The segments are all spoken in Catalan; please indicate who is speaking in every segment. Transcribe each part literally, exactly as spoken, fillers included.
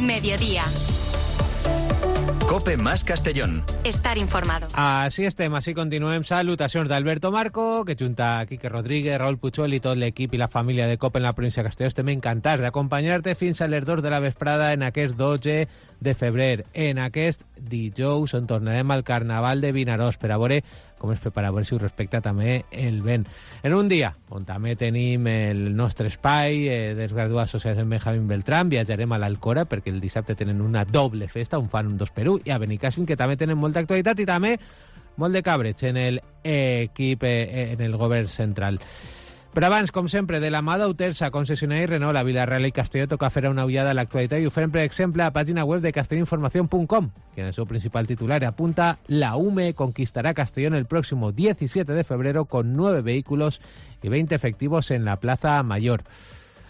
Speaker 1: Mediodía.
Speaker 2: COPE más Castellón.
Speaker 1: Estar informado.
Speaker 3: Així estem, així continuem. Salutacions d'Alberto Marco, que junta a Quique Rodríguez, Raúl Puchol i tot l'equip i la família de COPE en la província de Castelló estem encantats d'acompanyar-te fins a les dos de la vesprada en aquest dotze de febrer, en aquest dijous on tornarem al Carnaval de Vinaròs per a veure com es prepara, a veure si ho respecta també el vent. En un dia on també tenim el nostre espai eh, dels graduats socials en Benjamín Beltrán, viatjarem a l'Alcora perquè el dissabte tenen una doble festa, un fan, un dos per u, i a Benicàssim, que també tenen molta actualitat i també molt de cabreig en l'equip, eh, en el govern central. Però abans, com sempre, de la mà d'Autersa, concessionari Renault, a Vila-real i Castelló, toca fer una ullada a l'actualitat i ho fem, per exemple, a la pàgina web de castellinformación punt com, que en el seu principal titular apunta: la U M E conquistará Castellón el próximo diecisiete de febrero con nueve vehículos y veinte efectivos en la Plaza Mayor.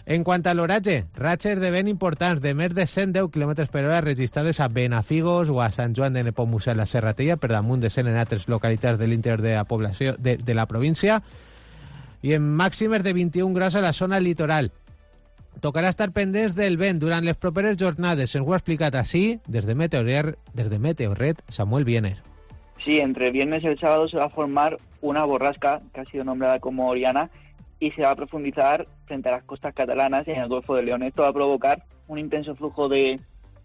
Speaker 3: En quant a l'oratge, ratxes de vent importants de més de cent deu quilòmetres per hora registrades a Benafigos o a Sant Joan de Nepomucè, a la Serratella, per damunt de cent en altres localitats de l'interior de la població de, de la província, i en màximes de vint-i-un graus a la zona litoral. Tocarà estar pendents del vent durant les properes jornades. Ens ho ha explicat així, des de Meteorret, des de Meteorret, Samuel Vienes.
Speaker 4: Sí, entre el viernes y el sábado se va a formar una borrasca que ha sido nombrada como Oriana y se va a profundizar frente a las costas catalanas y en el Golfo de León. Esto va a provocar un intenso flujo de,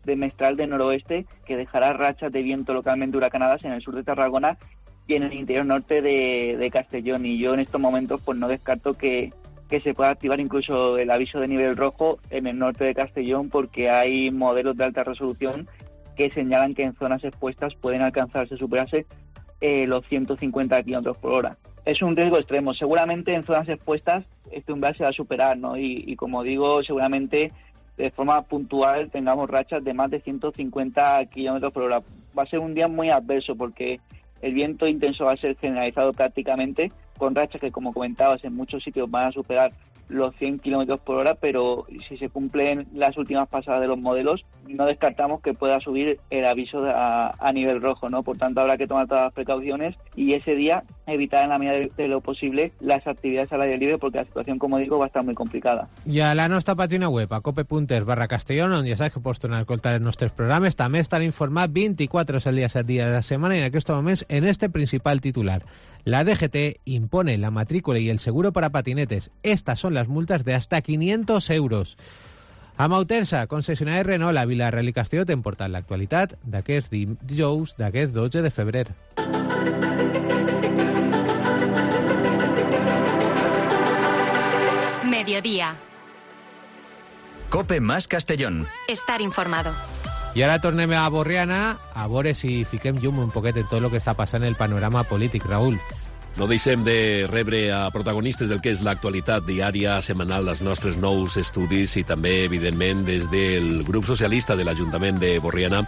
Speaker 4: de mestral de noroeste que dejará rachas de viento localmente huracanadas en el sur de Tarragona y en el interior norte de, de Castellón. Y yo en estos momentos pues no descarto que, que se pueda activar incluso el aviso de nivel rojo en el norte de Castellón, porque hay modelos de alta resolución que señalan que en zonas expuestas pueden alcanzarse, superarse eh, los ciento cincuenta kilómetros por hora. Es un riesgo extremo. Seguramente en zonas expuestas este umbral se va a superar, ¿no? Y, y como digo, seguramente de forma puntual tengamos rachas de más de ciento cincuenta kilómetros por hora. Va a ser un día muy adverso porque el viento intenso va a ser generalizado prácticamente, con rachas que, como comentabas, en muchos sitios van a superar los cien kilómetros por hora, pero si se cumplen las últimas pasadas de los modelos, no descartamos que pueda subir el aviso a, a nivel rojo, ¿no? Por tanto, habrá que tomar todas las precauciones y ese día evitar en la medida de, de lo posible las actividades al aire libre, porque la situación, como digo, va a estar muy complicada. I
Speaker 3: a la nostra pàgina web, a cope.es barra Castellón, on ja saps que pots tornar a escoltar els nostres programes, també estan informats vint-i-quatre hores al dia, set dies a la setmana, i en aquests moments, en este principal titular. La D G T impone la matrícula y el seguro para patinetes. Estas son las multas de hasta quinientos euros. A Mautersa, concessionari Renault, a Vila-real i Castelló, t'hem portat l'actualitat d'aquest dijous, d'aquest dotze de febrer.
Speaker 1: Mediodía.
Speaker 2: COPE más Castellón.
Speaker 1: Estar informado.
Speaker 3: I ara tornem a Borriana a veure si fiquem llum un poquet en tot el que està passant en el panorama polític. Raúl.
Speaker 5: No deixem de rebre a protagonistes del que és l'actualitat diària, setmanal, dels nostres nous estudis i també, evidentment, des del grup socialista de l'Ajuntament de Borriana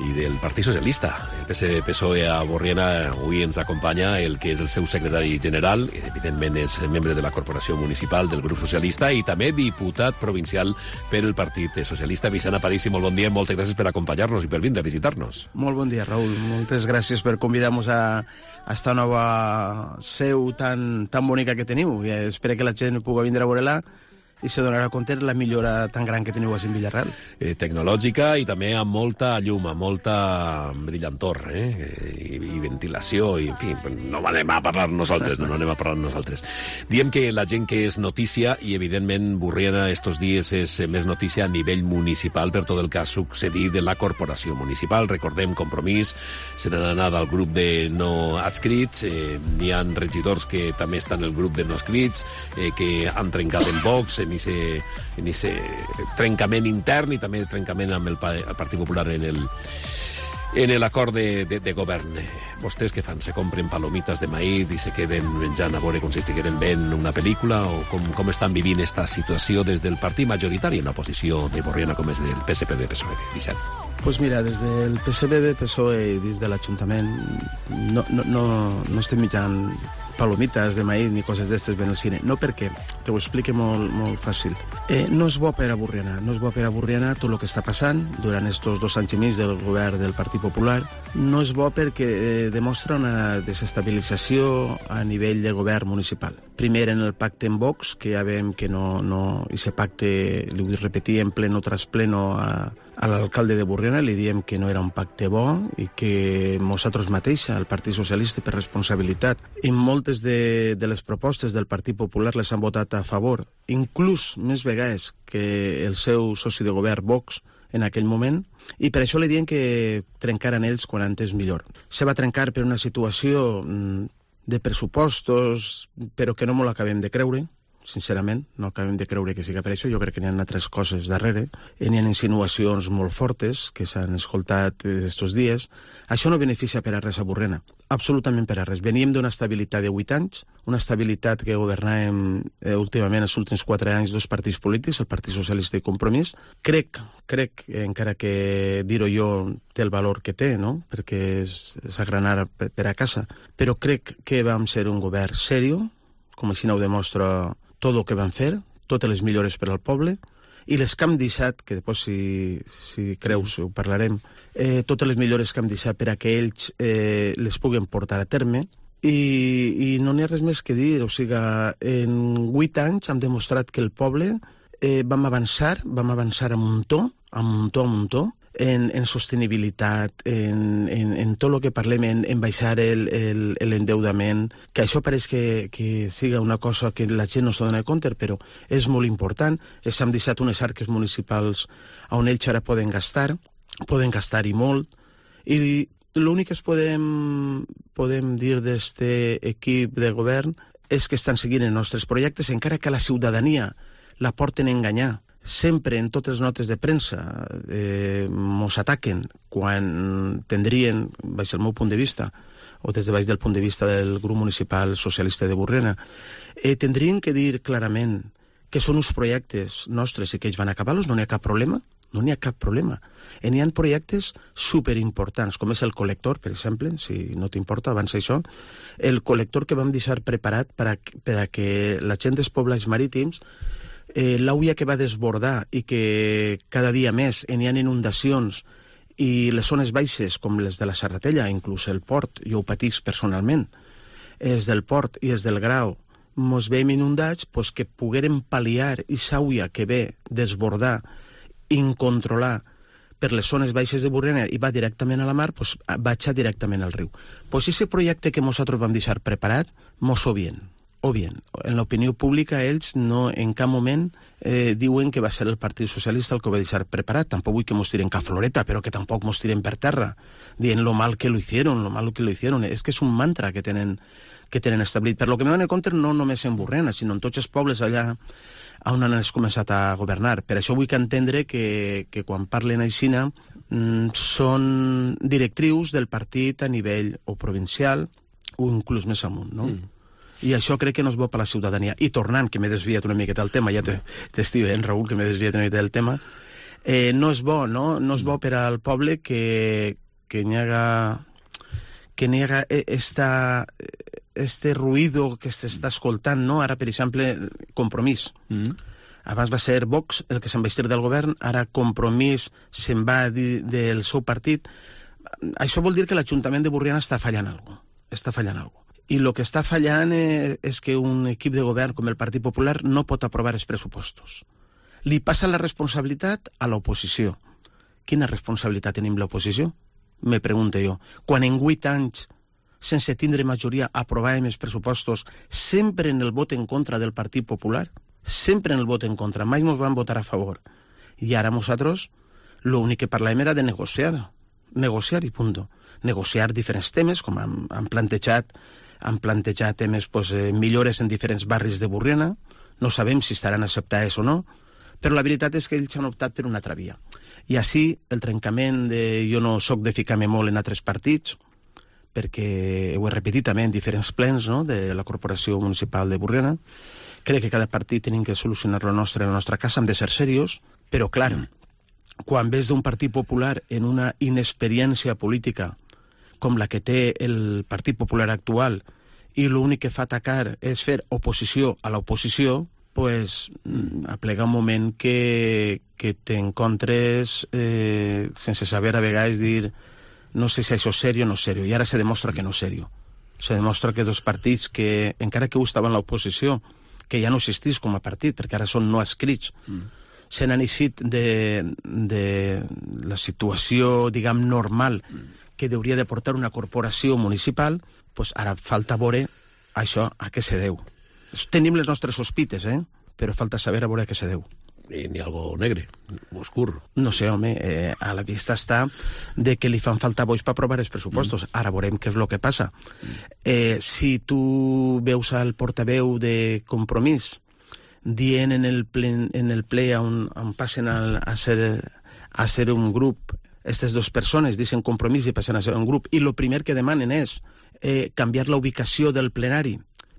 Speaker 5: i del Partit Socialista. El P S P S O E a Borriana avui ens acompanya el que és el seu secretari general, evidentment és membre de la Corporació Municipal del grup socialista i també diputat provincial per el Partit Socialista. Vicent Aparici, molt bon dia, moltes gràcies per acompanyar-nos i per vindre a visitar-nos.
Speaker 6: Molt bon dia, Raúl. Moltes gràcies per convidar-nos a a esta nova seu tan, tan bonica que teniu. I espero que la gent pugui vindre a veure-la i se donarà compte la millora tan gran que teniu a Villarreal.
Speaker 5: Eh, tecnològica i també amb molta llum, amb molta brillantor, eh? I, i ventilació, i en fi, no anem a parlar nosaltres, no, no anem a parlar nosaltres. Diem que la gent que és notícia, i evidentment Borriana estos dies és més notícia a nivell municipal per tot el que ha succeït en la corporació municipal. Recordem Compromís, se n'han anat al grup de no adscrits, eh, n'hi ha regidors que també estan en el grup de no adscrits, eh, que han trencat en Vox, en aquest trencament intern i també trencament amb el, el Partit Popular en el en l'acord de, de, de govern. Vostès què fan? Se compren palomites de maïs i se queden menjant a veure com si estigueren veient una pel·lícula, o com, com estan vivint esta situació des del partit majoritari en l'oposició de Borriana, com és del P S P B P S O E? Vicent.
Speaker 6: Pues mira, des del P S P B P S O E i des de l'Ajuntament no, no, no, no estem mitjant palomites de maïs ni coses d'estes ven al cine. No, perquè, te ho explique molt, molt fàcil. Eh, no és bo per a Borriana, no és bo per a Borriana tot el que està passant durant estos dos anys i mig del govern del Partit Popular, no és bo perquè eh, demostra una desestabilització a nivell de govern municipal. Primer en el pacte amb Vox, que ja veiem que no... no i aquest pacte, li vull repetir en pleno tras pleno a, a l'alcalde de Borriana, li diem que no era un pacte bo i que nosaltres mateixa, el Partit Socialista, per responsabilitat, i moltes de, de les propostes del Partit Popular les han votat a favor, inclús més vegades que el seu soci de govern, Vox, en aquell moment, i per això li diem que trencaren ells quan antes millor. Se va trencar per una situació de pressupostos, però que no m'ho l'acabem de creure, sincerament, no acabem de creure que siga per això. Jo crec que n'hi ha altres coses darrere. N'hi ha insinuacions molt fortes que s'han escoltat estos dies. Això no beneficia per a res a Borriana, absolutament per a res. Veníem d'una estabilitat de vuit anys, una estabilitat que governàvem eh, últimament els últims quatre anys dos partits polítics, el Partit Socialista i Compromís. Crec, crec, encara que dir-ho jo té el valor que té, no?, perquè és, és agranar per, per a casa, però crec que vam ser un govern serio, com així no ho demostra tot el que van fer, totes les millores per al poble, i les que hem deixat, que després, si, si creus, ho parlarem, eh, totes les millores que hem deixat per a que ells eh, les puguen portar a terme, i, i no n'hi ha res més que dir. O sigui, en vuit anys hem demostrat que el poble eh, vam avançar, vam avançar a muntó, a muntó, a muntó, en, en sostenibilitat, en, en, en tot el que parlem, en, en baixar l'endeudament, que això pareix que, que siga una cosa que la gent no s'ha donat compte, però és molt important. S'han deixat unes arques municipals on ells ara poden gastar, poden gastar i molt, i l'únic que es podem, podem dir d'aquest equip de govern és que estan seguint els nostres projectes, encara que la ciutadania la porten a enganyar. Sempre en totes les notes de premsa eh, mos ataquen quan tindrien, baix el meu punt de vista, o des de baix del punt de vista del grup municipal socialista de Borriana, eh, tindrien que dir clarament que són uns projectes nostres i que ells van acabar-los, no n'hi ha cap problema, no n'hi ha cap problema. I n'hi ha projectes superimportants, com és el col·lector, per exemple, si no t'importa, abans això, el col·lector que vam deixar preparat per a, per a que la gent dels pobles marítims, Eh, l'auia que va desbordar i que cada dia més n'hi ha inundacions i les zones baixes com les de la Serratella, inclús el port, jo ho patix personalment, els del port i els del Grau, mos veiem inundats, pues que poguérem pal·liar i s'auia que ve desbordar, incontrolar per les zones baixes de Borriana i va directament a la mar, pues baixar directament al riu. Pues ese projecte que nosaltres vam deixar preparat, mos ho bien. O bien, en l'opinió pública ells no en cap moment eh, diuen que va ser el Partit Socialista el que ho va deixar preparat. Tampoc vull que mos tiren cap floreta, però que tampoc mos tiren per terra, dient lo mal que lo hicieron, lo mal que lo hicieron. És que és un mantra que tenen, que tenen establit. Per lo que me dono compte, no només en Borriana, sinó en tots els pobles allà on han començat a governar. Per això vull que entendre que, que quan parlen aixina mm, són directrius del partit a nivell o provincial o inclús més amunt, no? Mm. I això crec que no és bo per a la ciutadania. I tornant, que m'he desviat una miqueta del tema, ja t'estiu veient, Raül, que m'he desviat una miqueta del tema, eh, no és bo, no? No és bo per al poble que, que n'hi haga, que n'hi haga esta, este ruïdo que s'està escoltant, no? Ara, per exemple, Compromís. Mm. Abans va ser Vox el que se'n va estir del govern, ara Compromís se'n va dir del seu partit. Això vol dir que l'Ajuntament de Borriana està fallant alguna cosa. Està fallant alguna cosa. I el que està fallant és que un equip de govern com el Partit Popular no pot aprovar els pressupostos. Li passa la responsabilitat a l'oposició. Quina responsabilitat tenim l'oposició? Me pregunto jo. Quan en vuit anys, sense tindre majoria, aprovàvem els pressupostos sempre en el vot en contra del Partit Popular, sempre en el vot en contra, mai ens van votar a favor. I ara nosaltres l'únic que parlàvem era de negociar, negociar i punt. Negociar diferents temes, com han, han plantejat han plantejat temes, pues, eh, millores en diferents barris de Borriana, no sabem si estaran acceptades o no, però la veritat és que ells han optat per una altra via. I així, el trencament de... Jo no soc de ficar-me molt en altres partits, perquè ho he repetit també en diferents plens, no?, de la Corporació Municipal de Borriana. Crec que cada partit tenim que solucionar lo nostre en la nostra casa, hem de ser serios, però, clar, mm. quan ves d'un Partit Popular en una inexperiència política com la que té el Partit Popular actual i l'únic que fa atacar és fer oposició a l'oposició, pues, aplega un moment que, que t'encontres eh, sense saber a vegades dir no sé si això és sèrio o no és sèrio, i ara se demostra que no és sèrio. Se demostra que dos partits que, encara que ho estaven a l'oposició, que ja no existís com a partit, perquè ara són no escrits, mm. se n'han eixit de, de la situació, diguem, normal que hauria de portar una corporació municipal, pues ara falta veure això a què se deu. Tenim les nostres sospites, eh? Però falta saber a veure a què se deu.
Speaker 5: I n'hi ha algo negre, oscur.
Speaker 6: No sé, home, eh, a la vista està de que li fan falta vots per aprovar els pressupostos. Mm. Ara veurem què és el que passa. Mm. Eh, si tu veus al portaveu de Compromís dient en el ple, en el ple on, on passen a, a, ser, a ser un grup, aquestes dues persones dicen Compromís i passen a ser un grup, i el primer que demanen és eh, canviar la ubicació del plenari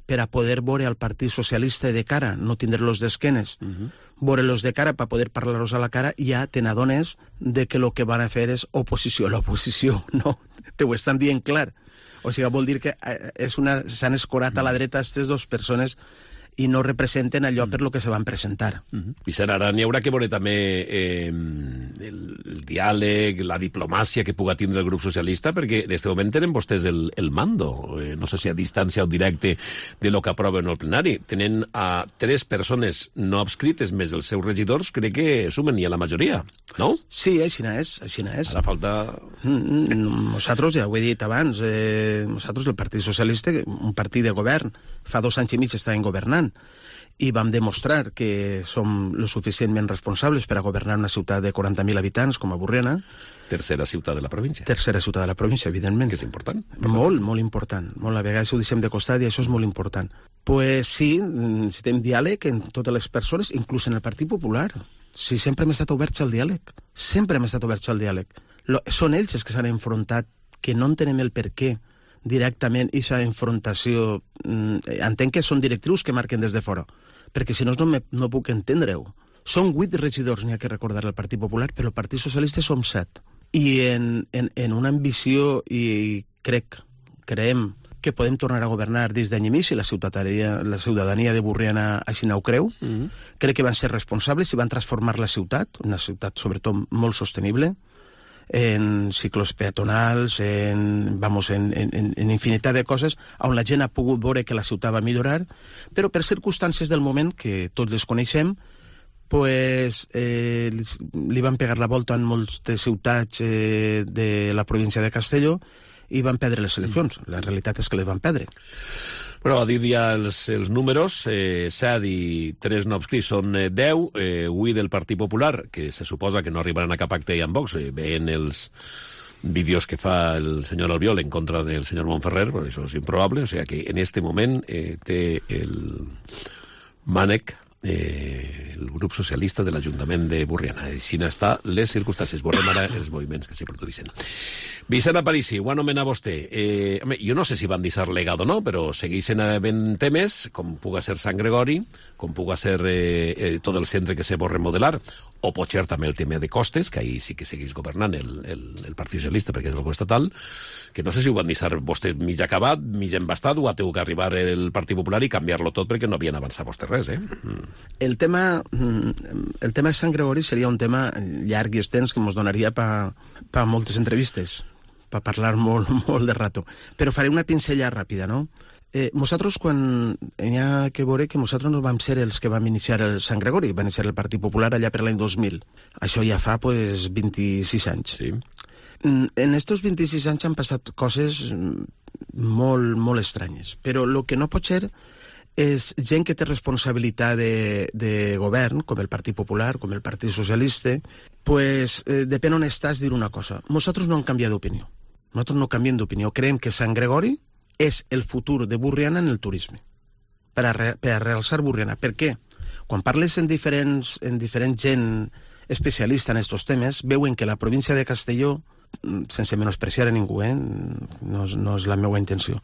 Speaker 6: per a poder veure al Partit Socialista de cara, no tindre-los d'esquenes, uh-huh. veure-los de cara per poder parlar-los a la cara, ja te n'adones de que el que van a fer és oposició a l'oposició, no? Te ho estan dient clar. O sigui, vol dir que és una, s'han escorat a la dreta aquestes dues persones i no representen allò per lo que se van presentar.
Speaker 5: Uh-huh. Vicent, ara n'hi haurà que veure també eh, el, el diàleg, la diplomàcia que puga tindre el grup socialista, perquè en aquest moment tenen vostès el, el mando, eh, no sé si a distància o directe de lo que aproven al plenari. Tenen a tres persones no adscrites més els seus regidors, crec que sumen ja la majoria, no?
Speaker 6: Sí, així és, així és.
Speaker 5: Ara falta...
Speaker 6: Mm, mm, nosaltres, ja ho he dit abans, eh, nosaltres, el Partit Socialista, un partit de govern, fa dos anys i mig estàvem governant, i vam demostrar que som lo suficientment responsables per a governar una ciutat de quaranta mil habitants com a Borriana.
Speaker 5: Tercera ciutat de la província.
Speaker 6: Tercera ciutat de la província, evidentment.
Speaker 5: Que és important.
Speaker 6: Molt, molt important. Molt, a vegades ho deixem de costat i això és molt important. Pues sí, necessitem diàleg en totes les persones, inclús en el Partit Popular. Sí, sempre hem estat oberts al diàleg. Sempre hem estat oberts al diàleg. Lo, són ells els que s'han enfrontat, que no entenem el per què directament aquesta enfrontació. Eh, entenc que són directrius que marquen des de fora, perquè si no no, me, no puc entendre-ho. Són vuit regidors, n'hi ha que recordar al Partit Popular, però el Partit Socialista som set. I en, en, en una ambició, i crec, creiem que podem tornar a governar des d'any i mig, i la ciutadania, la ciutadania de Borriana així no ho creu. Mm-hmm. Crec que van ser responsables i van transformar la ciutat, una ciutat sobretot molt sostenible, en ciclos peatonals, en, vamos, en, en, en infinitat de coses on la gent ha pogut veure que la ciutat va millorar, però per circumstàncies del moment, que tots les coneixem, pues, eh, li van pegar la volta en moltes ciutats eh, de la província de Castelló i van perdre les eleccions. La realitat és que les van perdre.
Speaker 5: Però a dir ja els, els números, eh, set i tres no adscrits són eh, deu, eh, vuit del Partit Popular, que se suposa que no arribaran a cap acte amb Vox, eh, veient els vídeos que fa el senyor Albiol en contra del senyor Montferrer, però això és improbable, o sigui que en este moment eh, té el mànec eh, el grup socialista de l'Ajuntament de Borriana. Així n'està les circumstàncies. Veurem ara els moviments que s'hi produïssin. Vicent Aparici, ho anomena vostè. Eh, home, jo no sé si van deixar legat o no, però segueixen havent temes, com puga ser Sant Gregori, com puga ser eh, eh, tot el centre que se vol remodelar, o pot ser també el tema de costes, que ahir sí que segueix governant el, el, el Partit Socialista, perquè és el govern estatal, que no sé si ho van deixar vostè mig acabat, mig embastat, o ha tingut que arribar el Partit Popular i canviar-lo tot perquè no havien avançat vostè res, eh? Mm.
Speaker 6: El tema, el tema de Sant Gregori seria un tema llarg i extens que ens donaria per pa moltes entrevistes, per parlar molt, molt de rato. Però faré una pincella ràpida, no? Eh, nosaltres, quan hi ha que veure que nosaltres no vam ser els que vam iniciar el Sant Gregori, va iniciar el Partit Popular allà per l'any dos mil. Això ja fa, pues, vint-i-sis anys.
Speaker 5: Sí.
Speaker 6: En estos vint-i-sis anys han passat coses molt, molt estranyes, però el que no pot ser és gent que té responsabilitat de, de govern, com el Partit Popular, com el Partit Socialista, pues, eh, depèn on estàs, dir una cosa. Nosaltres no hem canviat d'opinió. Nosaltres no canviem d'opinió. Creiem que Sant Gregori és el futur de Borriana en el turisme, per a, re, per a realçar Borriana. Per què? Quan parles en diferents, en diferent gent especialista en aquests temes, veuen que la província de Castelló, sense menospreciar a ningú, eh? no, és, no és la meva intenció,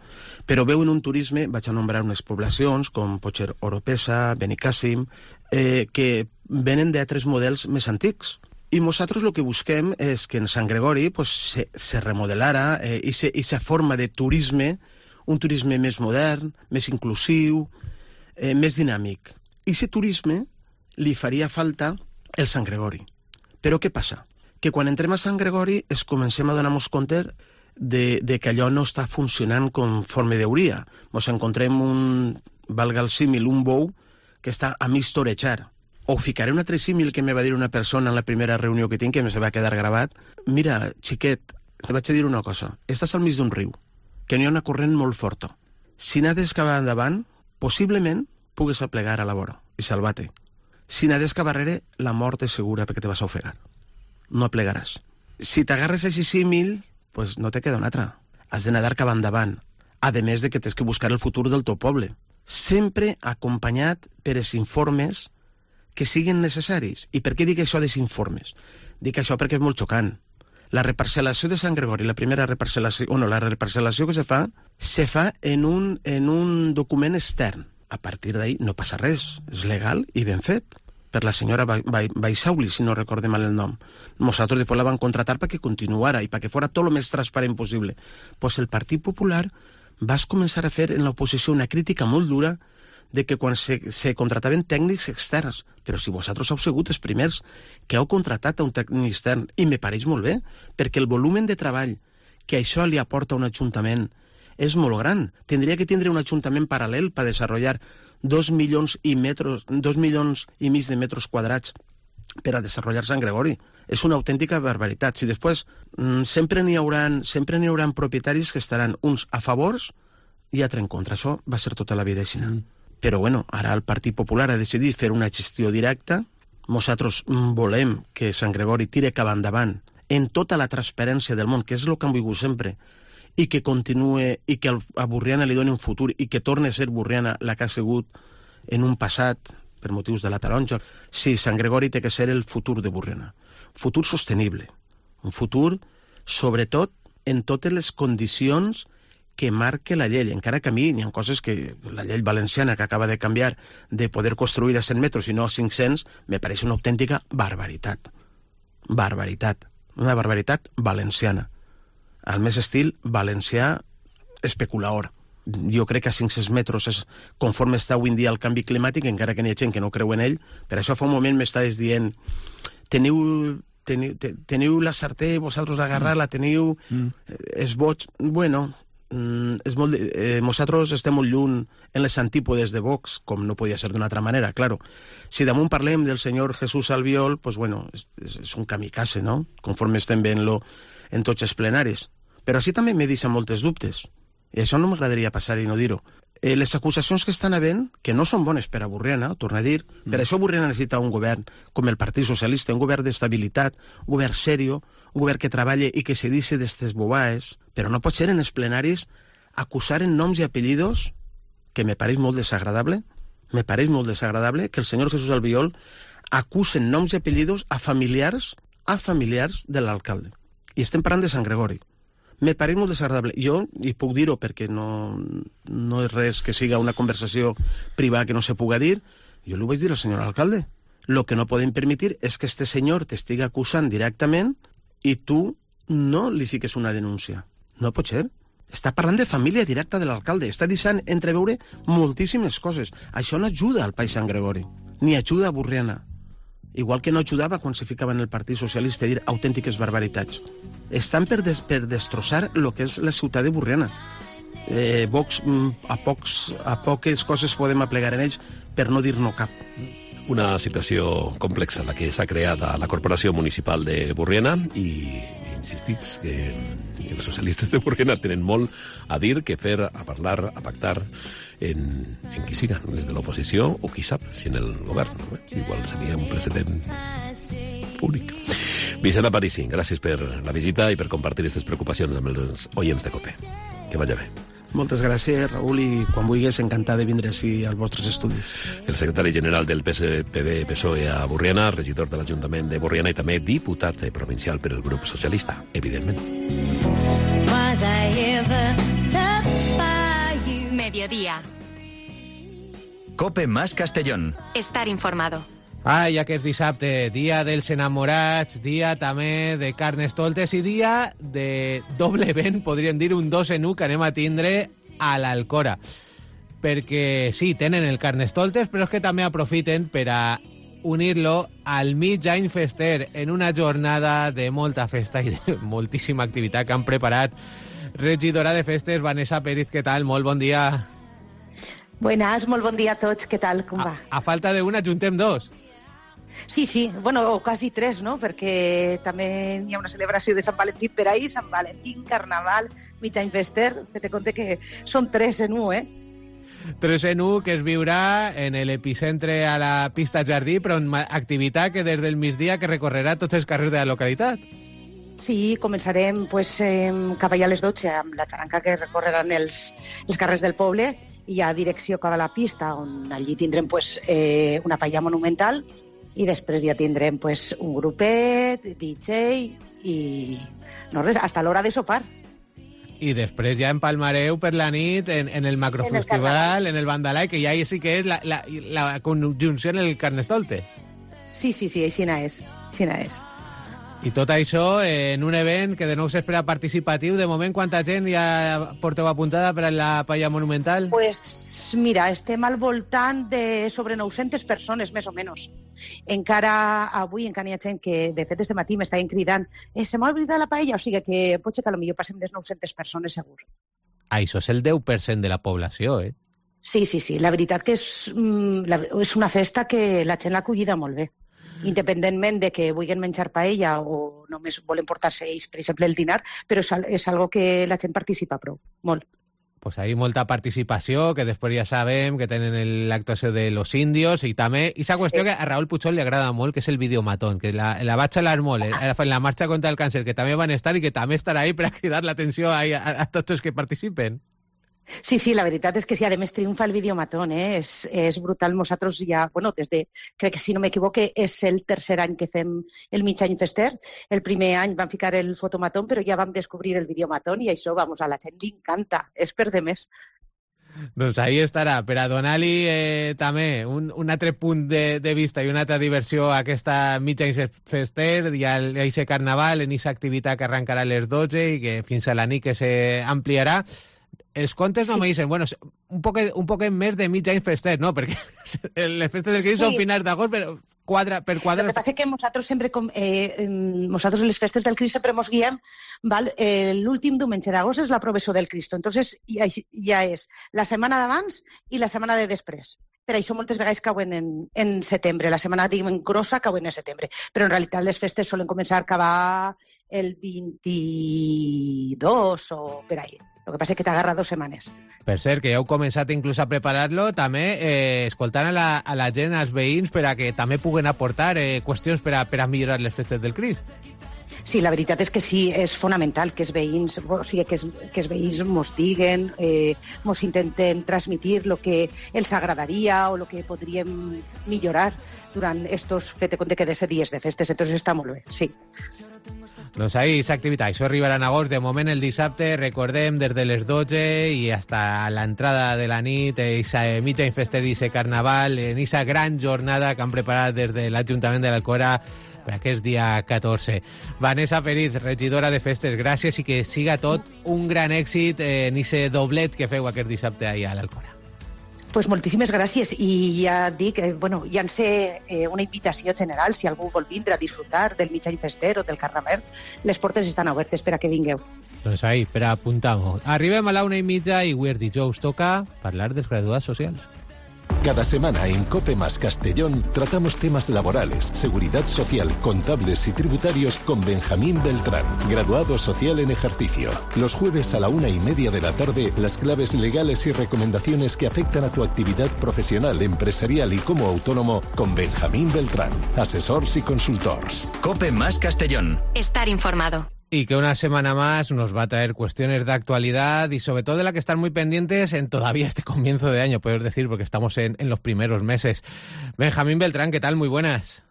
Speaker 6: però veuen un turisme, vaig a nombrar unes poblacions com pot ser Oropesa, Benicàssim, eh, que venen d'altres models més antics. I nosaltres el que busquem és que en Sant Gregori pues, se, se remodelara eh, i aquesta forma de turisme, un turisme més modern, més inclusiu, eh, més dinàmic. I aquest turisme li faria falta el Sant Gregori. Però què passa? que quan entrem a Sant Gregori es comencem a donar-nos compte de, de que allò no està funcionant conforme deuria. Ens encontrem un, valga el símil, un bou que està a mig torejar. O ficaré un altre símil que me va dir una persona en la primera reunió que tinc, que me se va quedar gravat. Mira, xiquet, te vaig a dir una cosa. Estàs al mig d'un riu, que n'hi ha una corrent molt forta. Si n'has cap endavant, possiblement pugues aplegar a la vora i salvar-te. Si n'has cap darrere, la mort és segura perquè te vas a ofegar. No aplegaràs. Si t'agarres a aquest símil, pues no te queda una altra. Has de nadar cap endavant. A més de que tens que buscar el futur del teu poble. Sempre acompanyat per els informes que siguin necessaris. I per què dic això dels informes? Dic això perquè és molt xocant. La reparcel·lació de Sant Gregori, la primera reparcel·lació, o no, la reparcel·lació que se fa, se fa en un, en un document extern. A partir d'ahí no passa res, és legal i ben fet. Per la senyora Baixauli, si no recorde mal el nom. Nosaltres després la van contratar perquè continuara i perquè fora tot el més transparent possible. Pues el Partit Popular vas començar a fer en l'oposició una crítica molt dura de que quan se, se contrataven tècnics externs, però si vosaltres heu sigut els primers que heu contratat a un tècnic extern, i me pareix molt bé, perquè el volum de treball que això li aporta a un ajuntament és molt gran. Tindria que tindre un ajuntament paral·lel per desenvolupar dos milions i metros, dos milions i mig de metres quadrats per a desenvolupar Sant Gregori. És una autèntica barbaritat. Si després mmm, sempre n'hi hauran, sempre n'hi hauran propietaris que estaran uns a favors i altres en contra. Això va ser tota la vida així. Mm. Però bueno, ara el Partit Popular ha decidit fer una gestió directa. Nosaltres volem que Sant Gregori tire cap endavant en tota la transparència del món, que és el que hem volgut sempre, i que continue, i que a Borriana li doni un futur, i que torni a ser Borriana la que ha sigut en un passat, per motius de la taronja. Sí, Sant Gregori té que ser el futur de Borriana. Futur sostenible. Un futur, sobretot, en totes les condicions que marque la llei, encara que a mi hi ha coses que la llei valenciana que acaba de canviar de poder construir a cent metres i no a cinc-cents, me pareix una autèntica barbaritat. Barbaritat. Una barbaritat valenciana. Al més estil valencià especulador. Jo crec que a cinc-cents metres és conforme està avui en dia el canvi climàtic, encara que n'hi ha gent que no creu en ell. Per això fa un moment m'estaves dient teniu, teniu, teniu la sartè, vosaltres l'agarrar-la, teniu mm. és boig. Bueno, és molt, eh, nosaltres estem molt lluny en les antípodes de Vox, com no podia ser d'una altra manera, claro. Si damunt parlem del senyor Jesús Albiol, pues bueno, és, és un kamikaze, no? Conforme estem veient-lo en tots els plenaris. Però així també me deixa moltes dubtes. I això no m'agradaria passar i no dir-ho. Eh, les acusacions que estan havent, que no són bones per a Borriana, torno a dir, mm. per això Borriana necessita un govern com el Partit Socialista, un govern d'estabilitat, un govern serio, un govern que treballe i que se deixi d'estes bobaes, però no pot ser en els plenaris acusar en noms i apellidos, que me pareix molt desagradable, me pareix molt desagradable que el senyor Jesús Albiol acuse en noms i apellidos a familiars, a familiars de l'alcalde. I estem parlant de Sant Gregori. Me pareix molt desagradable. Jo, i puc dir-ho perquè no, no és res que siga una conversació privada que no se puga dir, jo li vaig dir al senyor alcalde. Lo que no podem permetre és que este senyor t'estigui acusant directament i tu no li fiques una denúncia. No pot ser. Està parlant de família directa de l'alcalde. Està deixant entreveure moltíssimes coses. Això no ajuda al País Sant Gregori, ni ajuda a Borriana. Igual que no ajudava quan se ficava en el Partit Socialista a dir autèntiques barbaritats. Estan per, des, per destrossar el que és la ciutat de Borriana. Eh, Vox, a, pocs, a poques coses podem aplegar en ells, per no dir-no cap.
Speaker 5: Una situació complexa la que s'ha creat a la Corporació Municipal de Borriana i insistix que els socialistes de Borriana tenen molt a dir, que fer, a parlar, a pactar en, en qui siga, des de l'oposició o qui sap, si en el govern. No? Igual seria un precedent únic. Vicent Aparici, gràcies per la visita i per compartir aquestes preocupacions amb els oients de COPE. Que vagi bé.
Speaker 6: Moltes gràcies, Raül, i quan vulguis, encantat de vindre així als vostres estudis.
Speaker 5: El secretari general del P S P D P S O E a Borriana, regidor de l'Ajuntament de Borriana i també diputat provincial per el grup socialista, evidentment.
Speaker 1: Mediodía.
Speaker 2: COPE más Castellón.
Speaker 1: Estar informado.
Speaker 3: Ai, aquest dissabte, dia dels enamorats, dia també de Carnestoltes i dia de doble vent, podríem dir, un dos en un que anem a tindre a l'Alcora. Perquè sí, tenen el Carnestoltes, però és que també aprofiten per a unir-lo al mig any fester en una jornada de molta festa i de moltíssima activitat que han preparat. Regidora de Festes, Vanessa Pérez, què tal? Molt bon dia.
Speaker 7: Buenas, molt bon dia a tots. Què tal? Com va?
Speaker 3: A, a falta d'una, juntem dos.
Speaker 7: Sí, sí, bueno, o quasi tres, no? Perquè també hi ha una celebració de Sant Valentí per ahir, Sant Valentí, Carnaval, mig any fester. Te compte que són tres en un, eh?
Speaker 3: Tres en un, que es viurà en l'epicentre a la pista Jardí, però en activitat que des del migdia que recorrerà tots els carrers de la localitat.
Speaker 7: Sí, començarem pues, eh, cap allà a les dotze amb la xaranca que recorreran els, els carrers del poble i a direcció cap a la pista, on allí tindrem pues, eh, una paella monumental i després ja tindrem pues, un grupet, D J i no res, hasta l'hora de sopar.
Speaker 3: I després ja empalmareu per la nit en, en el macrofestival, en el, en el Bandalai, que ja sí que és la, la, la conjunció en el Carnestoltes.
Speaker 7: Sí, sí, sí, aixina és, aixina és.
Speaker 3: I tot això en un event que de nou s'espera participatiu. De moment, quanta gent ja porteu apuntada per a la paella monumental?
Speaker 7: Pues mira, estem al voltant de sobre nou-centes persones, més o menys. Encara avui encara hi ha gent que, de fet, este matí m'estaven cridant eh, se m'ha oblidat la paella, o sigui que pot ser que potser passem les nou-centes persones, segur.
Speaker 3: Ah, això és el deu per cent de la població, eh?
Speaker 7: Sí, sí, sí. La veritat que és, mm, la, és una festa que la gent l'ha acollida molt bé. Independentment de que vulguin menjar paella o només volen portar-se ells, per exemple, el dinar, però és, és algo que la gent participa prou, molt.
Speaker 3: Pues hay molta participació, que després ja sabem que tenen l'actuació de los indios i també, i esa qüestió sí. que a Raúl Puchol li agrada molt, que és el videomatón, que la, la vaig xalar molt, eh, en la marxa contra el càncer, que també van estar i que també estarà ahí per a cridar l'atenció a, a, a tots els que participen.
Speaker 7: Sí, sí, la veritat és que sí, a més triomfa el videomatón, eh? és, és brutal. Nosaltres ja, bueno, des de, crec que si no m'equivoque, és el tercer any que fem el mig any fester. El primer any vam ficar el fotomatón, però ja vam descobrir el videomatón i això, vamos, a la gent li encanta, és per de més.
Speaker 3: Doncs ahí estarà, per a donar-li eh, també un, un altre punt de, de vista i una altra diversió a aquesta mig any fester i a aquest carnaval, en aquesta activitat que arrencarà a les dotze i que fins a la nit que s'ampliarà. Els contes no sí. me dicen, bueno, un poc, un poc més de mig any fester, no? Perquè les festes del Crist sí. són finals d'agost, però quadra, per quadra...
Speaker 7: El que passa és que nosaltres sempre, com, eh, nosaltres les festes del Crist sempre ens guiem, val? Eh, l'últim diumenge d'agost és la professó del Cristo, entonces ja, ja és la setmana d'abans i la setmana de després. Per això moltes vegades cauen en, en setembre, la setmana diguem grossa cauen en setembre, però en realitat les festes solen començar a acabar el vint-i-dos o per ahí. El que passa és que t'agarra dues setmanes.
Speaker 3: Per cert, que ja heu començat inclús a preparar-lo, també eh, escoltant a la, a la gent, als veïns, per a que també puguen aportar eh, qüestions per a, per a millorar les festes del Crist.
Speaker 7: Sí, la veritat és que sí, és fonamental que els veïns, o sigui, que els, que els veïns mos diguen, eh, mos intenten transmitir el que els agradaria o el que podríem millorar durant estos, fet de compte que de ser dies de festes, entonces està molt bé, sí.
Speaker 3: Doncs ahí aquesta activitat, això arribarà en agost, de moment el dissabte, recordem, des de les dotze i hasta l'entrada de la nit, aquesta mitja infester i aquest carnaval, en aquesta gran jornada que han preparat des de l'Ajuntament de l'Alcora per aquest dia catorze. Vanessa Pérez, regidora de festes, gràcies i que siga tot un gran èxit en aquest doblet que feu aquest dissabte ahir a l'Alcora.
Speaker 7: Pues moltíssimes gràcies i ja dic, eh, bueno, ja en sé eh, una invitació general, si algú vol vindre a disfrutar del mig any fester o del carnaval, les portes estan obertes per a que vingueu.
Speaker 3: Doncs ahí, per a apuntar-ho. Arribem a la una i mitja i avui dijous toca parlar dels graduats socials.
Speaker 8: Cada semana en COPE más Castellón tratamos temas laborales, seguridad social, contables y tributarios con Benjamín Beltrán, graduado social en ejercicio. Los jueves a la una y media de la tarde, las claves legales y recomendaciones que afectan a tu actividad profesional, empresarial y como autónomo con Benjamín Beltrán, asesors y consultors.
Speaker 2: COPE más Castellón.
Speaker 1: Estar informado.
Speaker 3: Y que una semana más nos va a traer cuestiones de actualidad y sobre todo de la que están muy pendientes en todavía este comienzo de año, puedes decir, porque estamos en, en los primeros meses. Benjamín Beltrán, ¿qué tal? Muy buenas.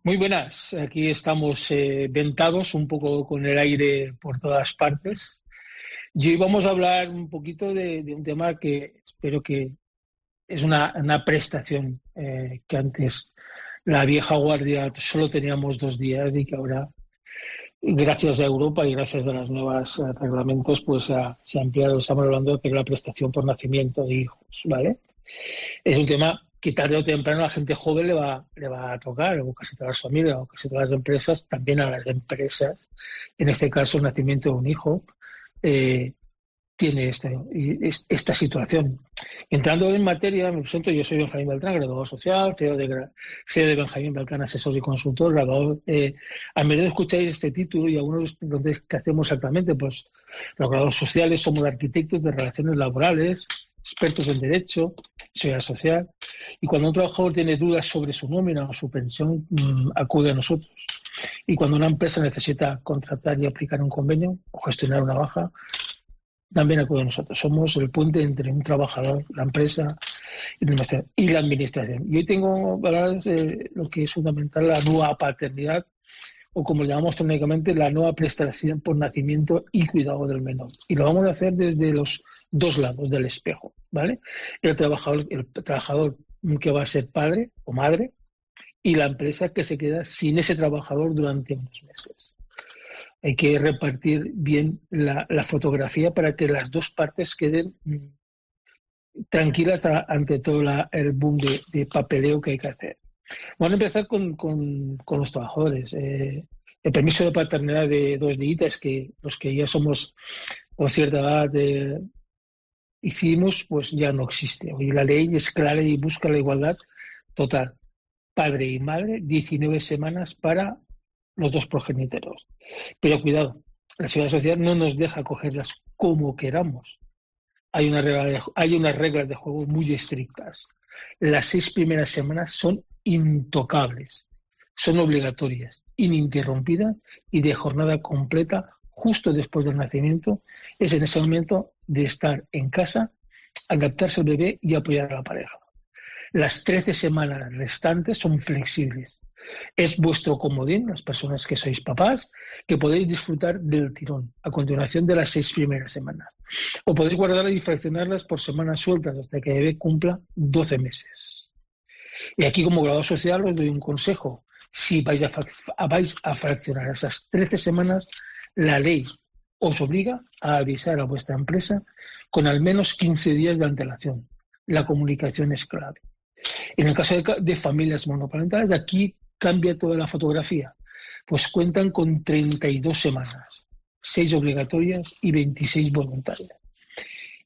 Speaker 9: Muy buenas. Aquí estamos eh, ventados, un poco con el aire por todas partes. Y hoy vamos a hablar un poquito de, de un tema que espero que es una, una prestación eh, que antes la vieja guardia solo teníamos dos días y que ahora, gracias a Europa y gracias a los nuevos uh, reglamentos, pues uh, se ha ampliado. Estamos hablando de la prestación por nacimiento de hijos, ¿vale? Es un tema que tarde o temprano a la gente joven le va, le va a tocar, o casi todas las familias, o casi todas las empresas, también a las empresas, en este caso el nacimiento de un hijo, eh, tiene este, esta situación. Entrando en materia, me presento, yo soy Benjamín Beltrán, graduado social, C E O de, C E O de Benjamín Beltrán, asesor y consultor, graduado. Eh, a menudo escucháis este título y algunos preguntáis qué hacemos exactamente. Pues los graduados sociales somos arquitectos de relaciones laborales, expertos en derecho, seguridad social, y cuando un trabajador tiene dudas sobre su nómina o su pensión, mmm, acude a nosotros. Y cuando una empresa necesita contratar y aplicar un convenio o gestionar una baja, también acude a nosotros. Somos el puente entre un trabajador, la empresa y la administración. Y hoy tengo hablar de lo que es fundamental, la nueva paternidad, o como le llamamos técnicamente, la nueva prestación por nacimiento y cuidado del menor. Y lo vamos a hacer desde los dos lados del espejo, ¿vale? El trabajador, el trabajador que va a ser padre o madre, y la empresa que se queda sin ese trabajador durante unos meses. Hay que repartir bien la, la fotografía para que las dos partes queden mm, tranquilas a, ante todo la, el boom de, de papeleo que hay que hacer. Bueno, empezar con, con, con los trabajadores. Eh, el permiso de paternidad de dos días, que los que ya somos con cierta edad de, hicimos, pues ya no existe. Hoy la ley es clara y busca la igualdad total. Padre y madre, diecinueve semanas para los dos progenitores. Pero cuidado, la seguridad social no nos deja cogerlas como queramos. Hay, una regla de, hay unas reglas de juego muy estrictas. Las seis primeras semanas son intocables, son obligatorias, ininterrumpidas y de jornada completa justo después del nacimiento. Es en ese momento de estar en casa, adaptarse al bebé y apoyar a la pareja. Las trece semanas restantes son flexibles. Es vuestro comodín, las personas que sois papás, que podéis disfrutar del tirón a continuación de las seis primeras semanas. O podéis guardarlas y fraccionarlas por semanas sueltas hasta que el bebé cumpla doce meses. Y aquí, como graduado social, os doy un consejo. Si vais a, vais a fraccionar esas trece semanas, la ley os obliga a avisar a vuestra empresa con al menos quince días de antelación. La comunicación es clave. En el caso de, de familias monoparentales, aquí cambia toda la fotografía, pues cuentan con treinta y dos semanas, seis obligatorias y veintiséis voluntarias.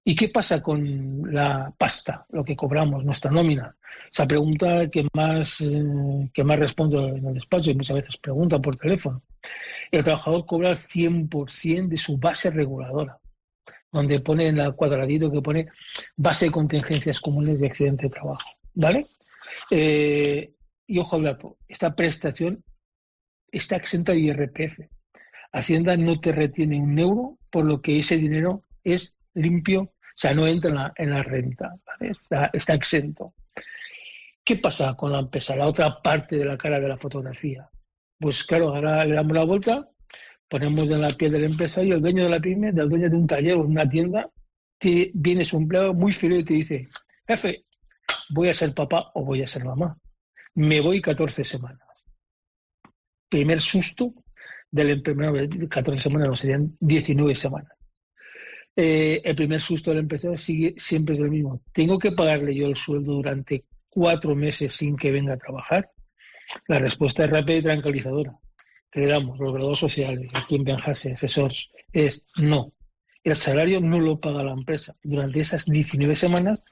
Speaker 9: ¿Y qué pasa con la pasta, lo que cobramos, nuestra nómina? Esa pregunta que más, eh, que más respondo en el despacho y muchas veces preguntan por teléfono. El trabajador cobra el cien por ciento de su base reguladora, donde pone en el cuadradito que pone base de contingencias comunes de accidente de trabajo, ¿vale? Eh, y ojo al dato, esta prestación está exenta de I R P F. Hacienda no te retiene un euro, por lo que ese dinero es limpio, o sea, no entra en la, en la renta, ¿vale? Está, está exento. ¿Qué pasa con la empresa? La otra parte de la cara de la fotografía. Pues claro, ahora le damos la vuelta, ponemos en la piel del empresario, el dueño de la pyme, del dueño de un taller o una tienda, te, viene su empleado muy feliz y te dice, jefe, voy a ser papá o voy a ser mamá. Me voy catorce semanas. Primer susto del empresario, catorce semanas no, serían diecinueve semanas. Eh, el primer susto del empresario sigue, siempre es el mismo. ¿Tengo que pagarle yo el sueldo durante cuatro meses sin que venga a trabajar? La respuesta es rápida y tranquilizadora. Que le damos los graduados sociales, aquí en Benjase, asesores, es no. El salario no lo paga la empresa. Durante esas diecinueve semanas,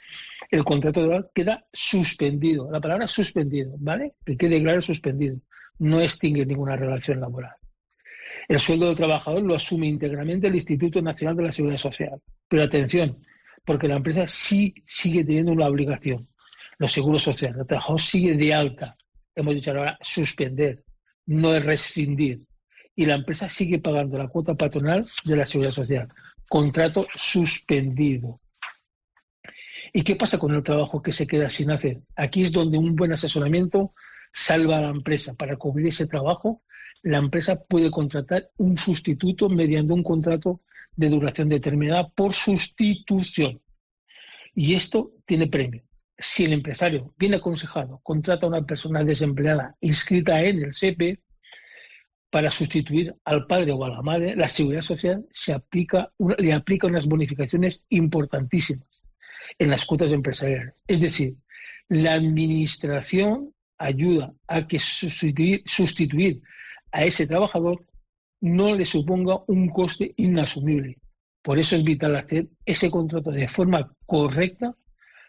Speaker 9: el contrato laboral queda suspendido. La palabra suspendido, ¿vale? Que quede claro, suspendido. No extingue ninguna relación laboral. El sueldo del trabajador lo asume íntegramente el Instituto Nacional de la Seguridad Social. Pero atención, porque la empresa sí sigue teniendo una obligación. Los seguros sociales, el trabajador sigue de alta. Hemos dicho ahora suspender, no es rescindir. Y la empresa sigue pagando la cuota patronal de la Seguridad Social. Contrato suspendido. ¿Y qué pasa con el trabajo que se queda sin hacer? Aquí es donde un buen asesoramiento salva a la empresa. Para cubrir ese trabajo, la empresa puede contratar un sustituto mediante un contrato de duración determinada por sustitución. Y esto tiene premio. Si el empresario, bien aconsejado, contrata a una persona desempleada inscrita en el S E P E para sustituir al padre o a la madre, la Seguridad Social se aplica, le aplica unas bonificaciones importantísimas en las cuotas empresariales. Es decir, La administración ayuda a que sustituir, sustituir a ese trabajador no le suponga un coste inasumible. Por eso es vital hacer ese contrato de forma correcta,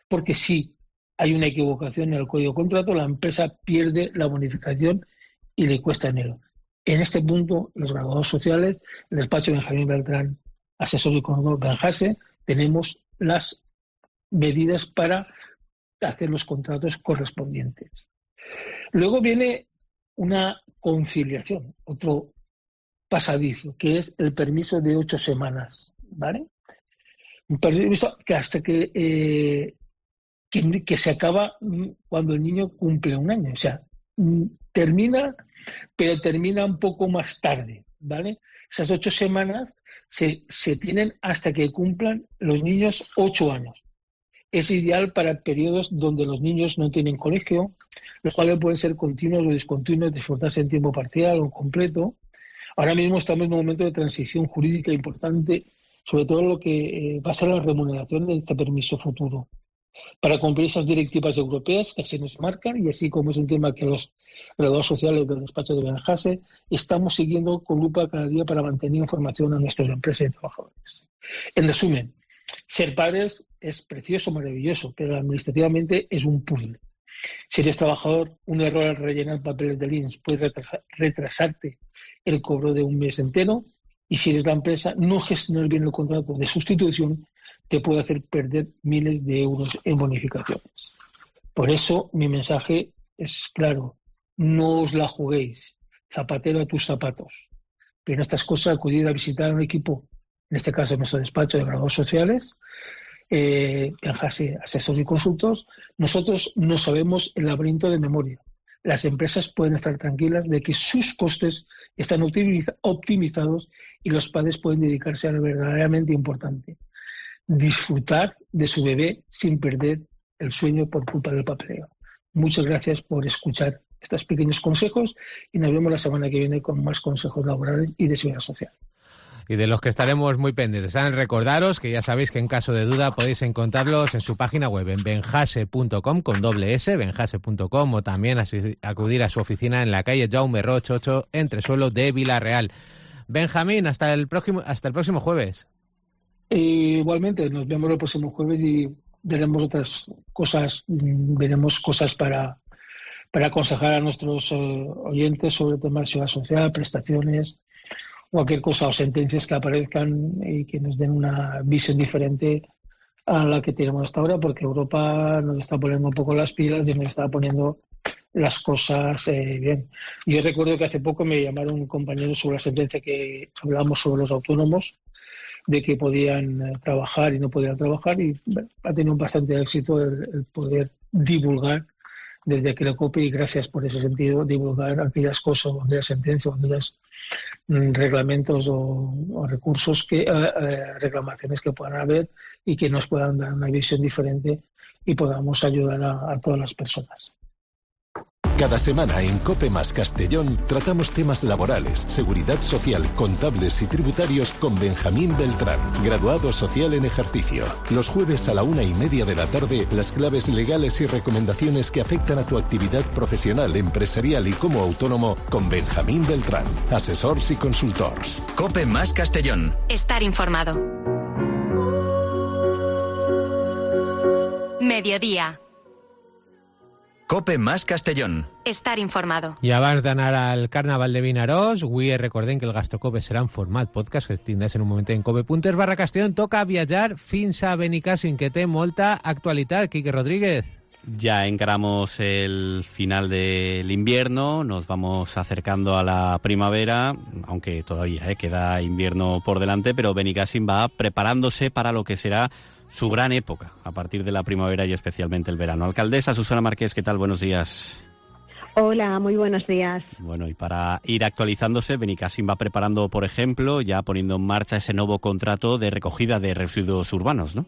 Speaker 9: porque si hay una equivocación en el código de contrato, la empresa pierde la bonificación y le cuesta dinero. En este punto, los graduados sociales, el despacho de Benjamín Beltrán, asesor económico Benjase, tenemos las medidas para hacer los contratos correspondientes. Luego viene una conciliación, otro pasadizo, que es el permiso de ocho semanas, ¿vale? Un permiso que hasta que, eh, que, que se acaba cuando el niño cumple un año, o sea, termina, pero termina un poco más tarde, ¿vale? Esas ocho semanas se, se tienen hasta que cumplan los niños ocho años. Es ideal para periodos donde los niños no tienen colegio, los cuales pueden ser continuos o discontinuos, disfrutarse en tiempo parcial o completo. Ahora mismo estamos en un momento de transición jurídica importante, sobre todo lo que eh, va a ser la remuneración de este permiso futuro, para cumplir esas directivas europeas que así nos marcan, y así como es un tema que los graduados sociales del despacho de Benjase estamos siguiendo con lupa cada día para mantener información a nuestras empresas y trabajadores. En resumen, ser padres es precioso, maravilloso, pero administrativamente es un puzzle. Si eres trabajador, un error al rellenar papeles del I N S puede retrasar, retrasarte el cobro de un mes entero, y si eres la empresa, no gestionar bien el contrato de sustitución te puede hacer perder miles de euros en bonificaciones. Por eso mi mensaje es claro: no os la juguéis, zapatero a tus zapatos. Pero en estas cosas, acudid a visitar a un equipo, en este caso nuestro despacho de graduados sociales, eh, Benjase, asesores y consultos. Nosotros no sabemos el laberinto de memoria. Las empresas pueden estar tranquilas de que sus costes están optimiza- optimizados y los padres pueden dedicarse a lo verdaderamente importante: disfrutar de su bebé sin perder el sueño por culpa del papeleo. Muchas gracias por escuchar estos pequeños consejos y nos vemos la semana que viene con más consejos laborales y de seguridad social.
Speaker 3: Y de los que estaremos muy pendientes. ¿Saben? Recordaros que ya sabéis que en caso de duda podéis encontrarlos en su página web, en benjase punto com con doble S, benjase punto com, o también así, acudir a su oficina en la calle Jaume Roig ocho, entresuelo de Villarreal. Benjamín, hasta el próximo, hasta el próximo jueves.
Speaker 9: E igualmente, nos vemos el próximo jueves y veremos otras cosas, veremos cosas para, para aconsejar a nuestros uh, oyentes sobre temas de seguridad social, prestaciones, cualquier cosa o sentencias que aparezcan y que nos den una visión diferente a la que tenemos hasta ahora, porque Europa nos está poniendo un poco las pilas y nos está poniendo las cosas eh, bien. Yo recuerdo que hace poco me llamaron un compañero sobre la sentencia que hablábamos sobre los autónomos, de que podían eh, trabajar y no podían trabajar, y bueno, ha tenido bastante éxito el, el poder divulgar desde aquel COPE, y gracias por ese sentido, divulgar aquellas cosas, o aquellas sentencias, o aquellos mm, reglamentos o, o recursos, que eh, eh, reclamaciones que puedan haber y que nos puedan dar una visión diferente y podamos ayudar a, a todas las personas.
Speaker 8: Cada semana en COPE más Castellón tratamos temas laborales, seguridad social, contables y tributarios con Benjamín Beltrán, graduado social en ejercicio. Los jueves a la una y media de la tarde, las claves legales y recomendaciones que afectan a tu actividad profesional, empresarial y como autónomo con Benjamín Beltrán, asesors y consultors.
Speaker 2: COPE más Castellón.
Speaker 1: Estar informado. Mediodía.
Speaker 2: COPE más Castellón.
Speaker 1: Estar informado.
Speaker 3: I abans d'anar al Carnaval de Vinaròs, avui recordem que el Gastrocope serà en format podcast, que es tindràs en un moment en cope.es barra Castellón. Toca viatjar fins a Benicàssim, que té molta actualitat. Quique Rodríguez.
Speaker 10: Ya encaramos el final del invierno, nos vamos acercando a la primavera, aunque todavía eh, queda invierno por delante, pero Benicàssim va preparándose para lo que será su gran época, a partir de la primavera y especialmente el verano. Alcaldesa Susana Márquez, ¿qué tal? Buenos días.
Speaker 11: Hola, muy buenos días.
Speaker 10: Bueno, y para ir actualizándose, Benicàssim va preparando, por ejemplo, ya poniendo en marcha ese nuevo contrato de recogida de residuos urbanos, ¿no?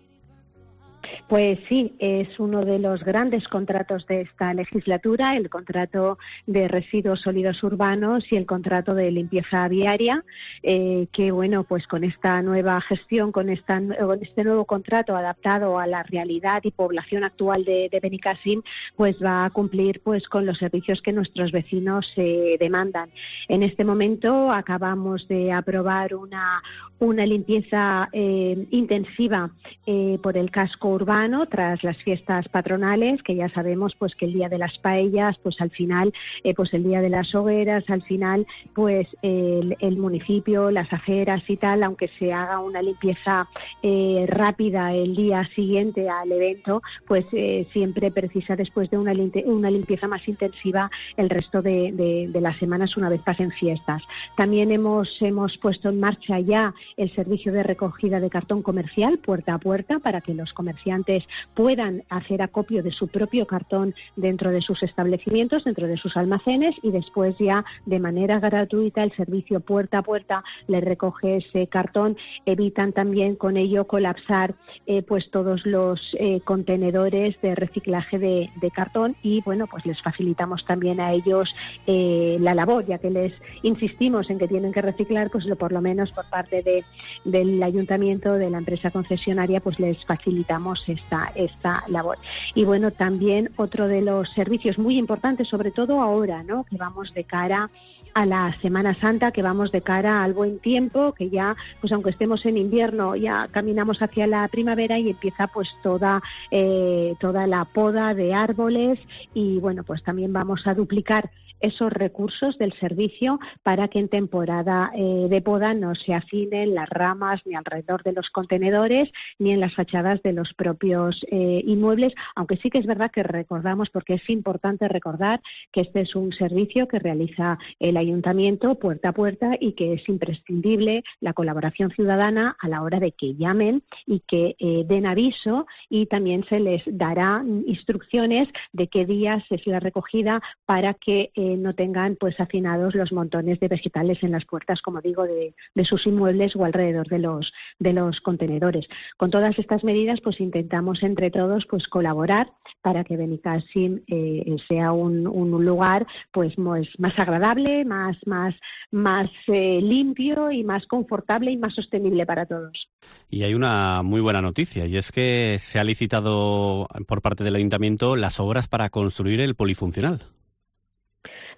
Speaker 11: Pues sí, es uno de los grandes contratos de esta legislatura, el contrato de residuos sólidos urbanos y el contrato de limpieza viaria, eh, que bueno, pues con esta nueva gestión, con, esta, con este nuevo contrato adaptado a la realidad y población actual de, de Benicàssim, pues va a cumplir pues con los servicios que nuestros vecinos eh, demandan. En este momento acabamos de aprobar una, una limpieza eh, intensiva eh, por el casco urbano tras las fiestas patronales, que ya sabemos pues que el día de las paellas, pues al final, eh, pues el día de las hogueras, al final, pues el, el municipio, las aceras y tal, aunque se haga una limpieza eh, rápida el día siguiente al evento, pues eh, siempre precisa después de una, una limpieza más intensiva el resto de, de, de las semanas una vez pasen fiestas. También hemos, hemos puesto en marcha ya el servicio de recogida de cartón comercial puerta a puerta para que los comerciantes puedan hacer acopio de su propio cartón dentro de sus establecimientos, dentro de sus almacenes, y después ya de manera gratuita el servicio puerta a puerta les recoge ese cartón. Evitan también con ello colapsar eh, pues todos los eh, contenedores de reciclaje de, de cartón, y bueno, pues les facilitamos también a ellos eh, la labor, ya que les insistimos en que tienen que reciclar, pues lo, por lo menos por parte de, del ayuntamiento, de la empresa concesionaria, pues les facilitamos esta, esta labor. Y bueno, también otro de los servicios muy importantes, sobre todo ahora, ¿no?, que vamos de cara a la Semana Santa, que vamos de cara al buen tiempo, que ya, pues aunque estemos en invierno, ya caminamos hacia la primavera y empieza pues toda, eh, toda la poda de árboles, y bueno, pues también vamos a duplicar esos recursos del servicio para que en temporada eh, de poda no se afinen las ramas ni alrededor de los contenedores ni en las fachadas de los propios eh, inmuebles, aunque sí que es verdad que recordamos, porque es importante recordar que este es un servicio que realiza el ayuntamiento puerta a puerta y que es imprescindible la colaboración ciudadana a la hora de que llamen y que eh, den aviso, y también se les dará instrucciones de qué días es la recogida para que eh, no tengan pues hacinados los montones de vegetales en las puertas, como digo, de, de sus inmuebles o alrededor de los de los contenedores. Con todas estas medidas pues intentamos entre todos pues colaborar para que Benicàssim eh, sea un, un lugar pues más, más agradable, más más más eh, limpio y más confortable y más sostenible para todos.
Speaker 10: Y hay una muy buena noticia, y es que se ha licitado por parte del ayuntamiento las obras para construir el polifuncional.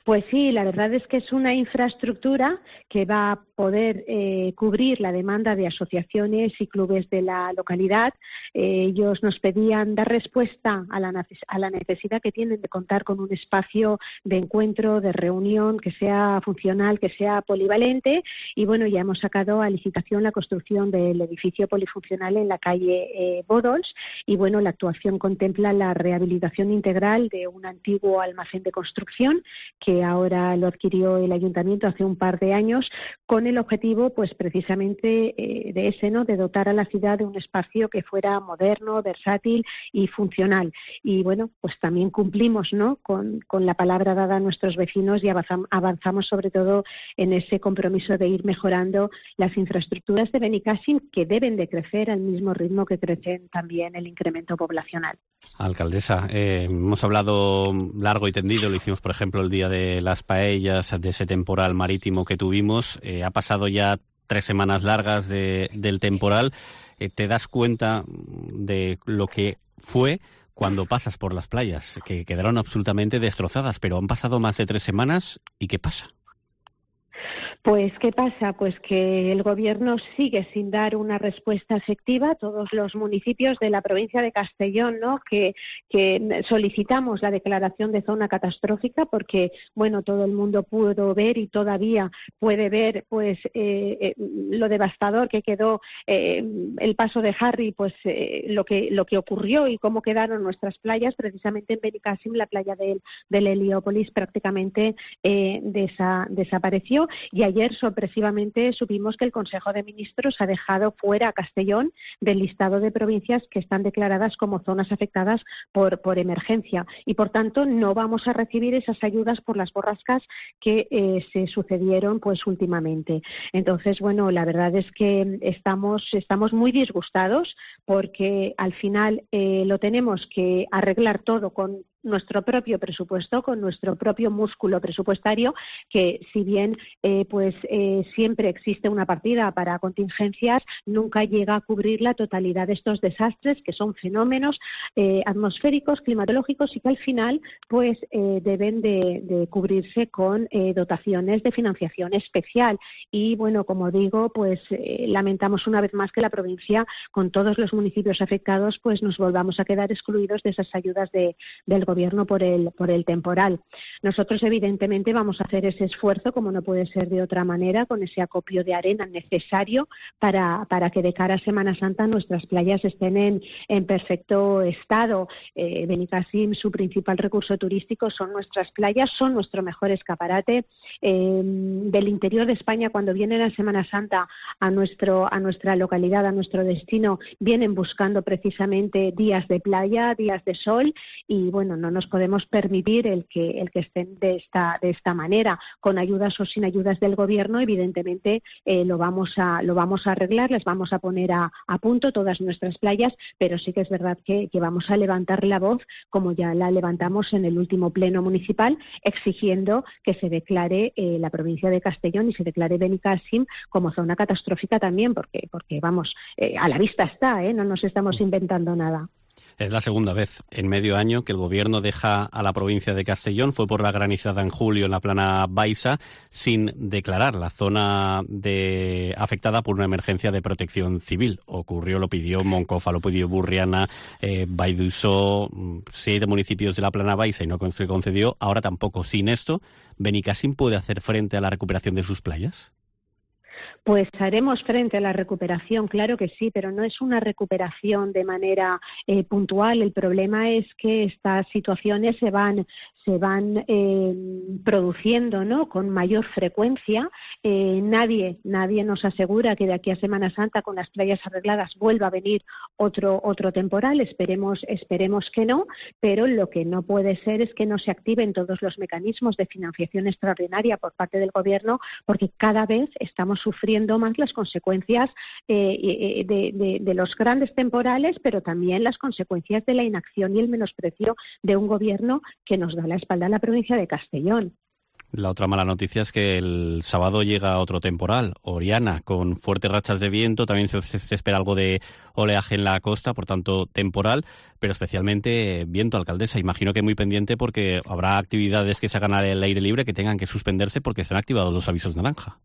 Speaker 11: Pues sí, la verdad es que es una infraestructura que va a poder eh, cubrir la demanda de asociaciones y clubes de la localidad. Eh, ellos nos pedían dar respuesta a la, a la necesidad que tienen de contar con un espacio de encuentro, de reunión, que sea funcional, que sea polivalente. Y bueno, ya hemos sacado a licitación la construcción del edificio polifuncional en la calle eh, Bodols. Y bueno, la actuación contempla la rehabilitación integral de un antiguo almacén de construcción que ahora lo adquirió el ayuntamiento hace un par de años, con el objetivo pues precisamente eh, de ese, ¿no?, de dotar a la ciudad de un espacio que fuera moderno, versátil y funcional. Y bueno, pues también cumplimos, ¿no?, con, con la palabra dada a nuestros vecinos, y avanzamos, avanzamos sobre todo en ese compromiso de ir mejorando las infraestructuras de Benicàssim, que deben de crecer al mismo ritmo que crecen también el incremento poblacional.
Speaker 10: Alcaldesa, eh, hemos hablado largo y tendido, lo hicimos por ejemplo el día de las paellas, de ese temporal marítimo que tuvimos. Eh, ha pasado ya tres semanas largas de, del temporal. Eh, ¿Te das cuenta de lo que fue cuando pasas por las playas, que quedaron absolutamente destrozadas, pero han pasado más de tres semanas? ¿Y qué pasa?
Speaker 11: Pues, ¿qué pasa? Pues que el Gobierno sigue sin dar una respuesta efectiva. Todos los municipios de la provincia de Castellón, ¿no?, que, que solicitamos la declaración de zona catastrófica, porque, bueno, todo el mundo pudo ver y todavía puede ver, pues, eh, eh, lo devastador que quedó eh, el paso de Harry, pues, eh, lo que lo que ocurrió y cómo quedaron nuestras playas. Precisamente en Benicàssim, la playa del, del Heliópolis prácticamente eh, desa, desapareció, y allí ayer sorpresivamente supimos que el Consejo de Ministros ha dejado fuera a Castellón del listado de provincias que están declaradas como zonas afectadas por, por emergencia y por tanto no vamos a recibir esas ayudas por las borrascas que eh, se sucedieron pues últimamente. Entonces, bueno, la verdad es que estamos, estamos muy disgustados porque al final eh, lo tenemos que arreglar todo con nuestro propio presupuesto, con nuestro propio músculo presupuestario, que si bien eh, pues eh, siempre existe una partida para contingencias, nunca llega a cubrir la totalidad de estos desastres, que son fenómenos eh, atmosféricos, climatológicos y que al final pues eh, deben de, de cubrirse con eh, dotaciones de financiación especial. Y bueno, como digo, pues eh, lamentamos una vez más que la provincia, con todos los municipios afectados, pues nos volvamos a quedar excluidos de esas ayudas de, del gobierno por el, por el temporal. Nosotros, evidentemente, vamos a hacer ese esfuerzo, como no puede ser de otra manera, con ese acopio de arena necesario para, para que de cara a Semana Santa nuestras playas estén en, en perfecto estado. Eh, Benicàssim, su principal recurso turístico son nuestras playas, son nuestro mejor escaparate. Eh, del interior de España, cuando vienen a Semana Santa a, nuestro, a nuestra localidad, a nuestro destino, vienen buscando precisamente días de playa, días de sol y, bueno, no nos podemos permitir el que el que estén de esta de esta manera, con ayudas o sin ayudas del gobierno. Evidentemente eh, lo vamos a lo vamos a arreglar, les vamos a poner a, a punto todas nuestras playas, pero sí que es verdad que, que vamos a levantar la voz, como ya la levantamos en el último pleno municipal, exigiendo que se declare eh, la provincia de Castellón y se declare Benicàssim como zona catastrófica también, porque porque vamos eh, a la vista está, ¿eh? No nos estamos inventando nada.
Speaker 10: Es la segunda vez en medio año que el gobierno deja a la provincia de Castellón. Fue por la granizada en julio en la plana Baixa, sin declarar la zona de afectada por una emergencia de protección civil. Ocurrió, lo pidió Moncofa, lo pidió Burriana, eh, Baidusó, siete municipios de la plana Baixa y no se concedió. Ahora tampoco. Sin esto, ¿Benicàssim puede hacer frente a la recuperación de sus playas?
Speaker 11: Pues haremos frente a la recuperación, claro que sí, pero no es una recuperación de manera eh, puntual. El problema es que estas situaciones se van se van eh, produciendo, ¿no?, con mayor frecuencia. Eh, nadie nadie nos asegura que de aquí a Semana Santa, con las playas arregladas, vuelva a venir otro otro temporal. Esperemos esperemos que no, pero lo que no puede ser es que no se activen todos los mecanismos de financiación extraordinaria por parte del Gobierno, porque cada vez estamos sufriendo más las consecuencias eh, de, de, de los grandes temporales, pero también las consecuencias de la inacción y el menosprecio de un Gobierno que nos da la espalda a la provincia de Castellón.
Speaker 10: La otra mala noticia es que el sábado llega otro temporal, Oriana, con fuertes rachas de viento. También se, se espera algo de oleaje en la costa, por tanto temporal, pero especialmente viento, alcaldesa. Imagino que muy pendiente porque habrá actividades que se hagan al aire libre que tengan que suspenderse porque se han activado los avisos naranja.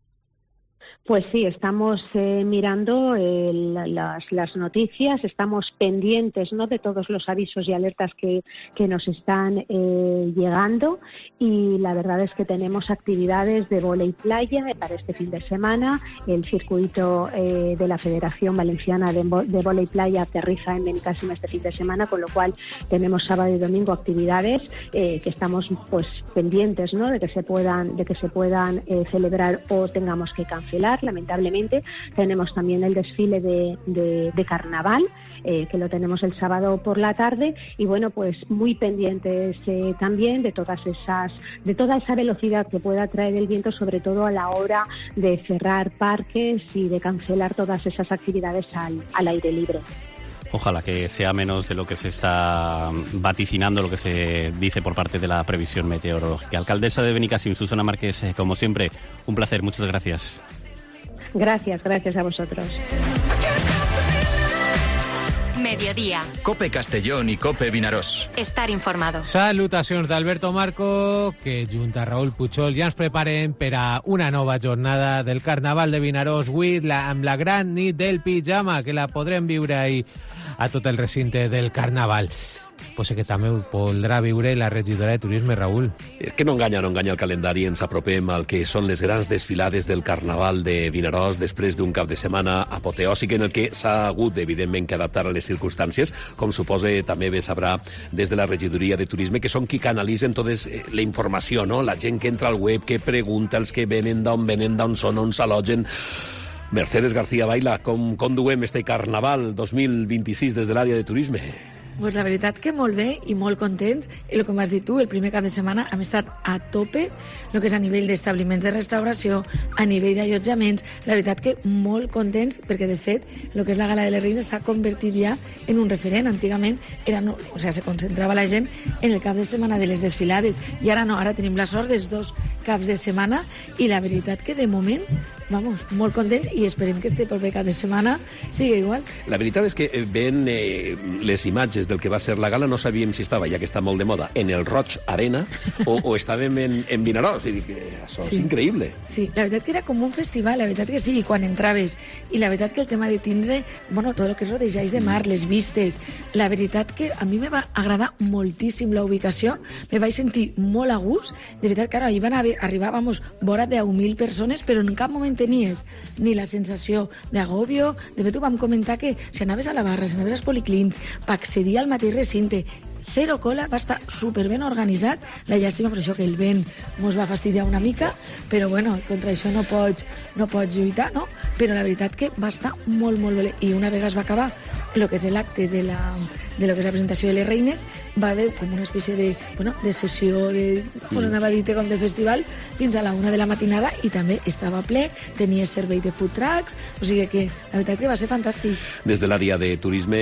Speaker 11: Pues sí, estamos eh, mirando eh, las, las noticias, estamos pendientes, ¿no?, de todos los avisos y alertas que, que nos están eh, llegando, y la verdad es que tenemos actividades de vóley playa para este fin de semana. El circuito eh, de la Federación Valenciana de, de Vóley Playa aterriza en Benicàssim este fin de semana, con lo cual tenemos sábado y domingo actividades eh, que estamos pues pendientes, ¿no?, de que se puedan de que se puedan eh, celebrar o tengamos que cancelar. Lamentablemente tenemos también el desfile de, de, de carnaval, eh, que lo tenemos el sábado por la tarde, y bueno, pues muy pendientes eh, también de todas esas, de toda esa velocidad que pueda traer el viento, sobre todo a la hora de cerrar parques y de cancelar todas esas actividades al, al aire libre.
Speaker 10: Ojalá que sea menos de lo que se está vaticinando, lo que se dice por parte de la previsión meteorológica. Alcaldesa de Benicàssim, Susana Márquez, como siempre, un placer, muchas gracias.
Speaker 11: Gracias, gracias a vosotros.
Speaker 1: Mediodía.
Speaker 2: Cope Castellón i Cope Vinaròs.
Speaker 1: Estar informado.
Speaker 3: Salutacions d'Alberto Marco, que junt a Raül Puchol ja ens preparem per a una nova jornada del Carnaval de Vinaròs, avui la, amb la gran nit del pijama, que la podrem viure ahir a tot el recinte del Carnaval. pues que també ho podrà viure la regidora de Turisme, Raül.
Speaker 5: És que no enganya, no enganya el calendari, ens apropem al que són les grans desfilades del Carnaval de Vinaròs després d'un cap de setmana apoteòsic en el que s'ha hagut, evidentment, que adaptar a les circumstàncies, com suposa també bé sabrà des de la regidoria de Turisme, que són qui canalitzen tota la informació, no? La gent que entra al web, que pregunta, els que venen, d'on venen, d'on són, on s'alogen. Mercedes García Baila, com, com duem este Carnaval dos mil vint-i-sis des de l'àrea de Turisme?
Speaker 12: Pues la veritat que molt bé i molt contents. I el que m'has dit tu, el primer cap de setmana hem estat a tope, el que és a nivell d'establiments de restauració, a nivell d'allotjaments. La veritat que molt contents, perquè de fet el que és la Gala de les Reines s'ha convertit ja en un referent. Antigament era, no, o sea, se concentrava la gent en el cap de setmana de les desfilades i ara no, ara tenim la sort dels dos caps de setmana i la veritat que de moment, vamos, molt contents i esperem que este proper cap de setmana sigui igual.
Speaker 5: La veritat és que veient eh, les imatges del que va ser la gala no sabíem si estava, ja que està molt de moda, en el Roig Arena o, o estàvem en, en Vinaròs. I dic, això sí. És increïble.
Speaker 12: Sí, la veritat que era com un festival, la veritat que sí, quan entraves. I la veritat que el tema de tindre, bueno, tot el que és rodejats de mar, les vistes, la veritat que a mi me va agradar moltíssim la ubicació, me vaig sentir molt a gust. De veritat que ara hi van haver, arribar, vamos, vora deu mil persones, però en cap moment tenies ni la sensació d'agòbio. De fet, ho vam comentar que si anaves a la barra, si anaves als policlins, per accedir al mateix recinte, zero cola, va estar superben organitzat. La llàstima per això que el vent mos va fastidiar una mica, però bueno, contra això no pots, no pots lluitar, no? Però la veritat que va estar molt, molt bé. I una vegada es va acabar el que és l'acte de la de lo que és la presentació de les reines, va haver com una espècie de, bueno, de sessió de, bueno, anava a dir-te com de festival fins a la una de la matinada i també estava ple, tenia servei de food trucks, o sigui que la veritat que va ser fantàstic.
Speaker 5: Des de l'àrea de turisme,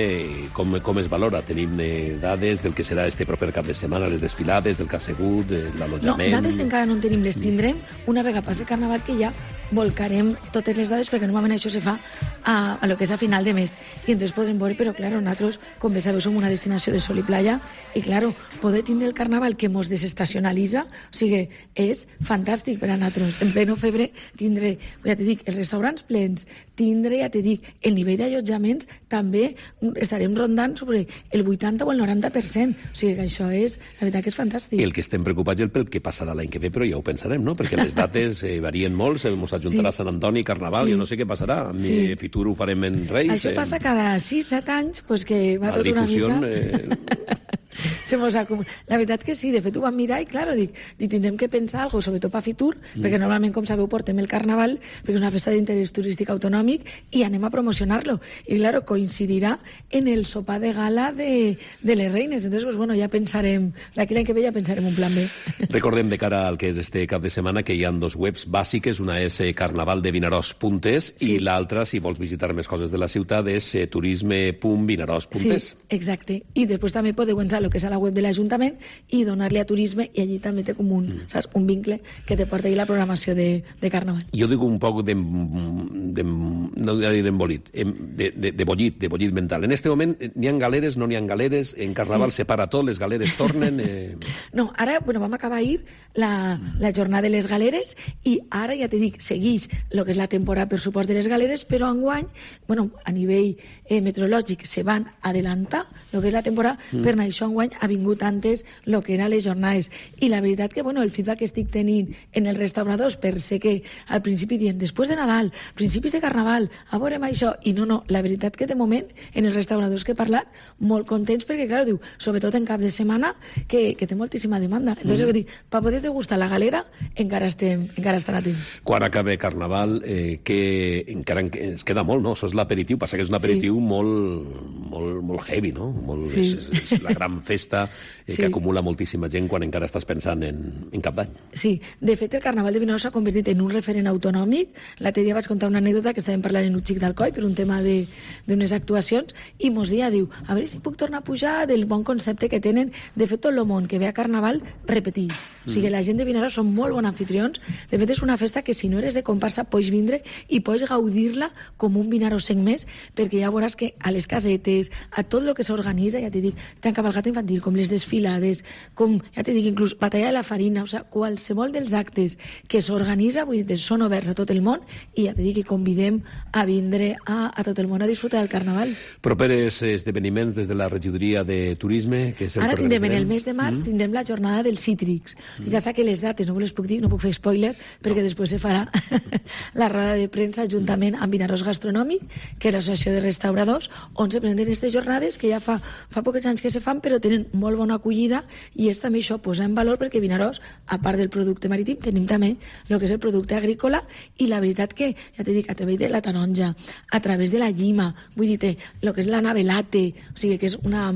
Speaker 5: com, com es valora? Tenim eh, dades del que serà este proper cap de setmana, les desfilades, del que ha sigut, l'allotjament...
Speaker 12: No, dades encara no en tenim, les tindrem una vegada passi Carnaval, que ja volcarem totes les dades perquè normalment això se fa a, a lo que és a final de mes i entonces podrem veure, però claro, nosaltres, com bé sabeu, som una destinació de sol i playa i claro, poder tindre el Carnaval que mos desestacionalitza, o sigui, és fantàstic per a nosaltres. En pleno febre tindre, ja te dic, els restaurants plens, tindre, ja te dic, el nivell d'allotjaments també estarem rondant sobre el vuitanta o el noranta per cent, o sigui que això és, la veritat que és fantàstic.
Speaker 5: El que estem preocupats és pel que passarà l'any que ve, però ja ho pensarem, no? Perquè les dates eh, varien molt, se mos ajuntarà sí. Sant Antoni, Carnaval, sí. Jo no sé què passarà. Amb sí. mi Fitur ho farem en Reis.
Speaker 12: Això passa
Speaker 5: eh...
Speaker 12: cada sis set anys, pues que va tot una mica... Eh... Se mos acumula. La veritat que sí, de fet ho vam mirar i, claro, dic, dic tindrem que pensar alguna cosa, sobretot per Fitur, mm. perquè normalment, com sabeu, portem el Carnaval, perquè és una festa d'interès turístic autonòmic, i anem a promocionar-lo. I, claro, coincidirà en el sopar de gala de, de les reines. Entonces, pues, bueno, ja pensarem, d'aquí l'any que ve ja pensarem un plan B.
Speaker 5: Recordem de cara al que és este cap de setmana que hi ha dos webs bàsiques, una és carnavaldevinaròs punt es sí. i l'altra, si vols visitar més coses de la ciutat, és turisme punt vinaròs punt es.
Speaker 12: Sí, exacte. I després també podeu entrar el que és a la web de l'Ajuntament i donar-li a Turisme i allí també té com un, mm. saps, un vincle que te porta ahí la programació de, de Carnaval.
Speaker 5: Jo dic un poc de, de no dir embolit, de, de, de bollit, de bollit mental. En este moment n'hi ha galeres, no n'hi ha galeres, en Carnaval sí. separa tot, les galeres tornen... Eh...
Speaker 12: No, ara, bueno, vam acabar ahir la, la jornada de les galeres i ara, ja te dic, segueix el que és la temporada per suport de les galeres, però enguany, bueno, a nivell eh, meteorològic se van adelantar el que és la temporada, mm. per això enguany ha vingut antes el que eren les jornades. I la veritat que, bueno, el feedback que estic tenint en els restauradors, per ser que al principi diuen, després de Nadal, principis de Carnaval, a veurem això, i no, no, la veritat que de moment, en els restauradors que he parlat, molt contents, perquè, clar, diu, sobretot en cap de setmana, que, que té moltíssima demanda. Entonces, mm. dic, per poder degustar la galera, encara estem, encara estan a temps.
Speaker 5: Quan acabe Carnaval, eh, que encara ens queda molt, no? Això és l'aperitiu, passa que és un aperitiu sí. molt, molt, molt heavy, no? Molt, sí. és, és la gran festa eh, sí. que acumula moltíssima gent quan encara estàs pensant en, en cap d'any.
Speaker 12: Sí, de fet el Carnaval de Vinaròs s'ha convertit en un referent autonòmic. L'altre dia vaig contar una anècdota que estàvem parlant en un xic d'Alcoi per un tema d'unes actuacions i mos dia diu, a veure si puc tornar a pujar del bon concepte que tenen. De fet, tot el món que ve a Carnaval repeteix. Mm. O sigui, la gent de Vinaròs són molt bons anfitrions. De fet, és una festa que si no eres de comparsa pots vindre i pots gaudir-la com un vinaròsenc més, perquè ja veuràs que a les casetes, a tot el que s'organitza, ja t'he dit, t'han cavalgat infantil, com les desfilades, com, ja t'he dit, inclús batalla de la farina, o sigui, qualsevol dels actes que s'organitza, vull dir, són oberts a tot el món, i ja t'he dit que convidem a vindre a, a tot el món a disfrutar del Carnaval.
Speaker 5: Properes esdeveniments des de la regidoria de turisme, que és el
Speaker 12: Ara
Speaker 5: que
Speaker 12: tindrem, en
Speaker 5: organitzarem.
Speaker 12: el mes de març, mm. tindrem la jornada del Cítrics. Mm. Ja sé que les dates no les puc dir, no puc fer spoiler, perquè no. després se farà la roda de premsa juntament amb Vinaròs Gastronòmic, que és l'associació de restauradors, on se presenten aquestes jornades que ja fa, fa pocs anys que se fan, però tenen molt bona acollida, i és també això, posar en valor, perquè Vinaròs, a part del producte marítim, tenim també el que és el producte agrícola, i la veritat que, ja t'he dit, a través de la taronja, a través de la llima, vull dir, el que és la navelate, o sigui, que és una...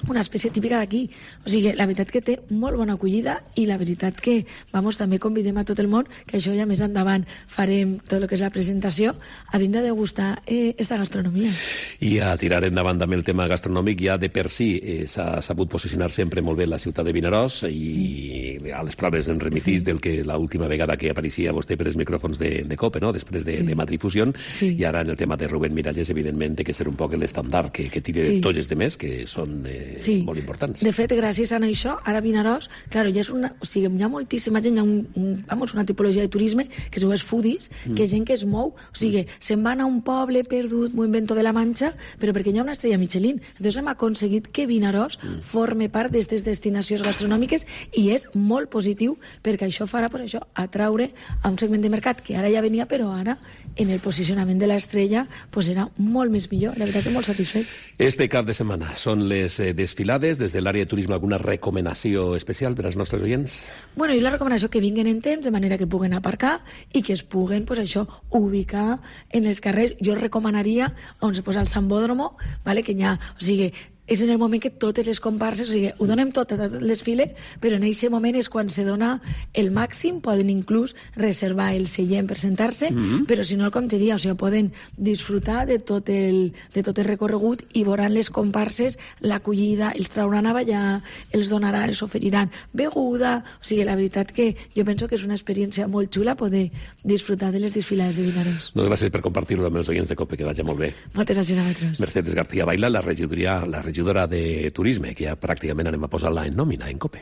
Speaker 12: una espècie típica d'aquí. O sigui, la veritat que té molt bona acollida, i la veritat que, vamos, també convidem a tot el món, que això ja més endavant farem tot el que és la presentació, a vindre a degustar eh, esta gastronomia.
Speaker 5: I a tirar endavant també el tema gastronòmic, ja de per si eh, s'ha sabut posicionar sempre molt bé la ciutat de Vinaròs, i sí. a les proves en remitís sí. del que l'última vegada que apareixia vostè per els micròfons de, de COPE, no? després de, sí. de Matrifusió, sí. i ara en el tema de Rubén Miralles, evidentment, té que ser un poc l'estàndard que, que tiri sí. tots els demés, que són... Eh,
Speaker 12: Sí.
Speaker 5: molt importants.
Speaker 12: De fet, gràcies a això, ara Vinaròs, clar, ja és una, o sigui, hi ha moltíssima gent, hi ha un, un, vamos, una tipologia de turisme que es diu els foodies, mm. que és gent que es mou, o sigui, mm. se'n van a un poble perdut, muy invento de la Manxa, però perquè hi ha una estrella Michelin. Entonces hem aconseguit que Vinaròs mm. forme part d'aquestes destinacions gastronòmiques, i és molt positiu, perquè això farà, per això, atraure a un segment de mercat que ara ja venia, però ara, en el posicionament de l'estrella, pues serà molt més millor. La veritat que molt satisfets.
Speaker 5: Este cap de setmana són les eh, desfilades. Des de l'àrea de turisme, alguna recomanació especial per als nostres oients?
Speaker 12: Bueno, i la recomanació que vinguen en temps, de manera que puguen aparcar i que es puguen, pues això, ubicar en els carrers. Jo recomanaria on se posa el Sambódromo, vale, que hi ha, o sigui, és en el moment que totes les comparses, o sigui, ho donem tot a tot el desfile, però en aquest moment és quan se dona el màxim, poden inclús reservar el seient per sentar-se, mm-hmm. però si no, com te dia, o sigui, poden disfrutar de tot el, de tot el recorregut, i veuran les comparses, l'acollida, els trauran a ballar, els donaran, els oferiran beguda, o sigui, la veritat que jo penso que és una experiència molt xula poder disfrutar de les desfilades de Vinaròs.
Speaker 5: Doncs gràcies per compartir-ho amb els oients de COPE, que vagi molt bé.
Speaker 12: Moltes gràcies a vosaltres.
Speaker 5: Mercedes García Baila, la regidoria, la regidoria de turisme, que ja pràcticament anem a posar-la en nòmina, en COPE.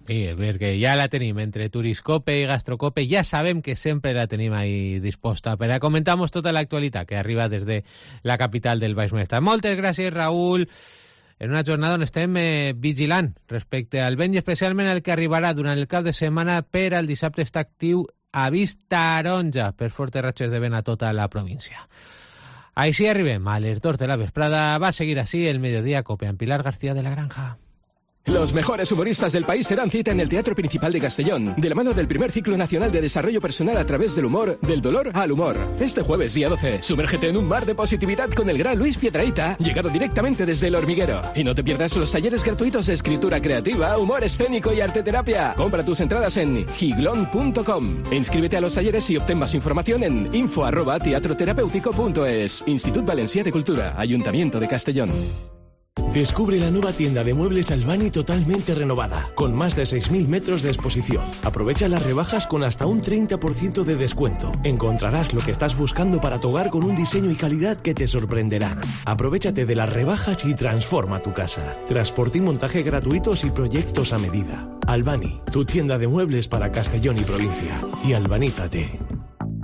Speaker 3: Sí, perquè ja la tenim entre Turiscope i Gastrocope, ja sabem que sempre la tenim ahí disposta per a comentar-nos tota l'actualitat que arriba des de la capital del Baix Maestrat. Moltes gràcies, Raül, en una jornada on estem eh, vigilant respecte al vent, i especialment el que arribarà durant el cap de setmana. Per al dissabte està actiu avís taronja per fortes ratxes de vent a tota la província. Així arribem a les dos de la vesprada. Va a seguir así el Mediodía Cope amb Pilar García de la Granja.
Speaker 13: Los mejores humoristas del país se dan cita en el Teatro Principal de Castellón, de la mano del primer ciclo nacional de desarrollo personal a través del humor, del dolor al humor. Este jueves, día doce, sumérgete en un mar de positividad con el gran Luis Piedrahita, llegado directamente desde El Hormiguero. Y no te pierdas los talleres gratuitos de escritura creativa, humor escénico y arteterapia. Compra tus entradas en giglón punto com. E inscríbete a los talleres y obtén más información en info arroba teatroterapéutico punto es. Institut Valencià de Cultura, Ayuntamiento de Castellón.
Speaker 14: Descubre la nueva tienda de muebles Albani totalmente renovada, con más de seis mil metros de exposición. Aprovecha las rebajas con hasta un treinta por ciento de descuento. Encontrarás lo que estás buscando para tu hogar con un diseño y calidad que te sorprenderán. Aprovéchate de las rebajas y transforma tu casa. Transporte y montaje gratuitos y proyectos a medida. Albani, tu tienda de muebles para Castellón y provincia. Y albanízate.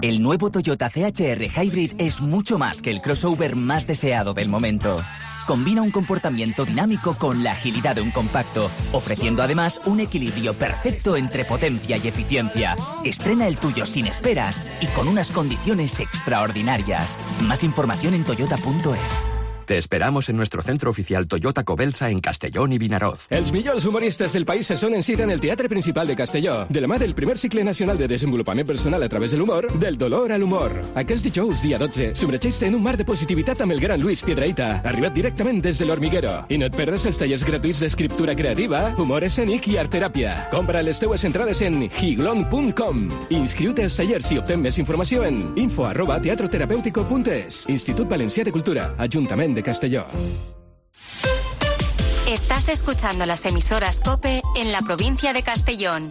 Speaker 15: El nuevo Toyota C H R Hybrid es mucho más que el crossover más deseado del momento. Combina un comportamiento dinámico con la agilidad de un compacto, ofreciendo además un equilibrio perfecto entre potencia y eficiencia. Estrena el tuyo sin esperas y con unas condiciones extraordinarias. Más información en toyota punto es.
Speaker 16: Te esperamos en nuestro centro oficial Toyota Cobelsa en Castellón i Vinaròs.
Speaker 13: Els millors humoristes del país se sonen cita en el Teatre Principal de Castelló, de la mà del primer cicle nacional de desenvolupament personal a través de l'humor, del dolor a l'humor. Aquest dijous, dia dotze, submergeix-te en un mar de positivitat amb el gran Luis Piedrahita, arribat directament des de El Hormiguero. I no et perdes els tallers gratuïts d'escriptura creativa, humor escènic i artteràpia. Compra les teues entrades en giglón punt com. Inscriu-te als tallers i obtén més informació en info arroba teatroterapéutico punto es. Institut Valencià de Cultura, Ajuntament de Castelló.
Speaker 1: Estás escuchando las emisoras COPE en la provincia de Castellón.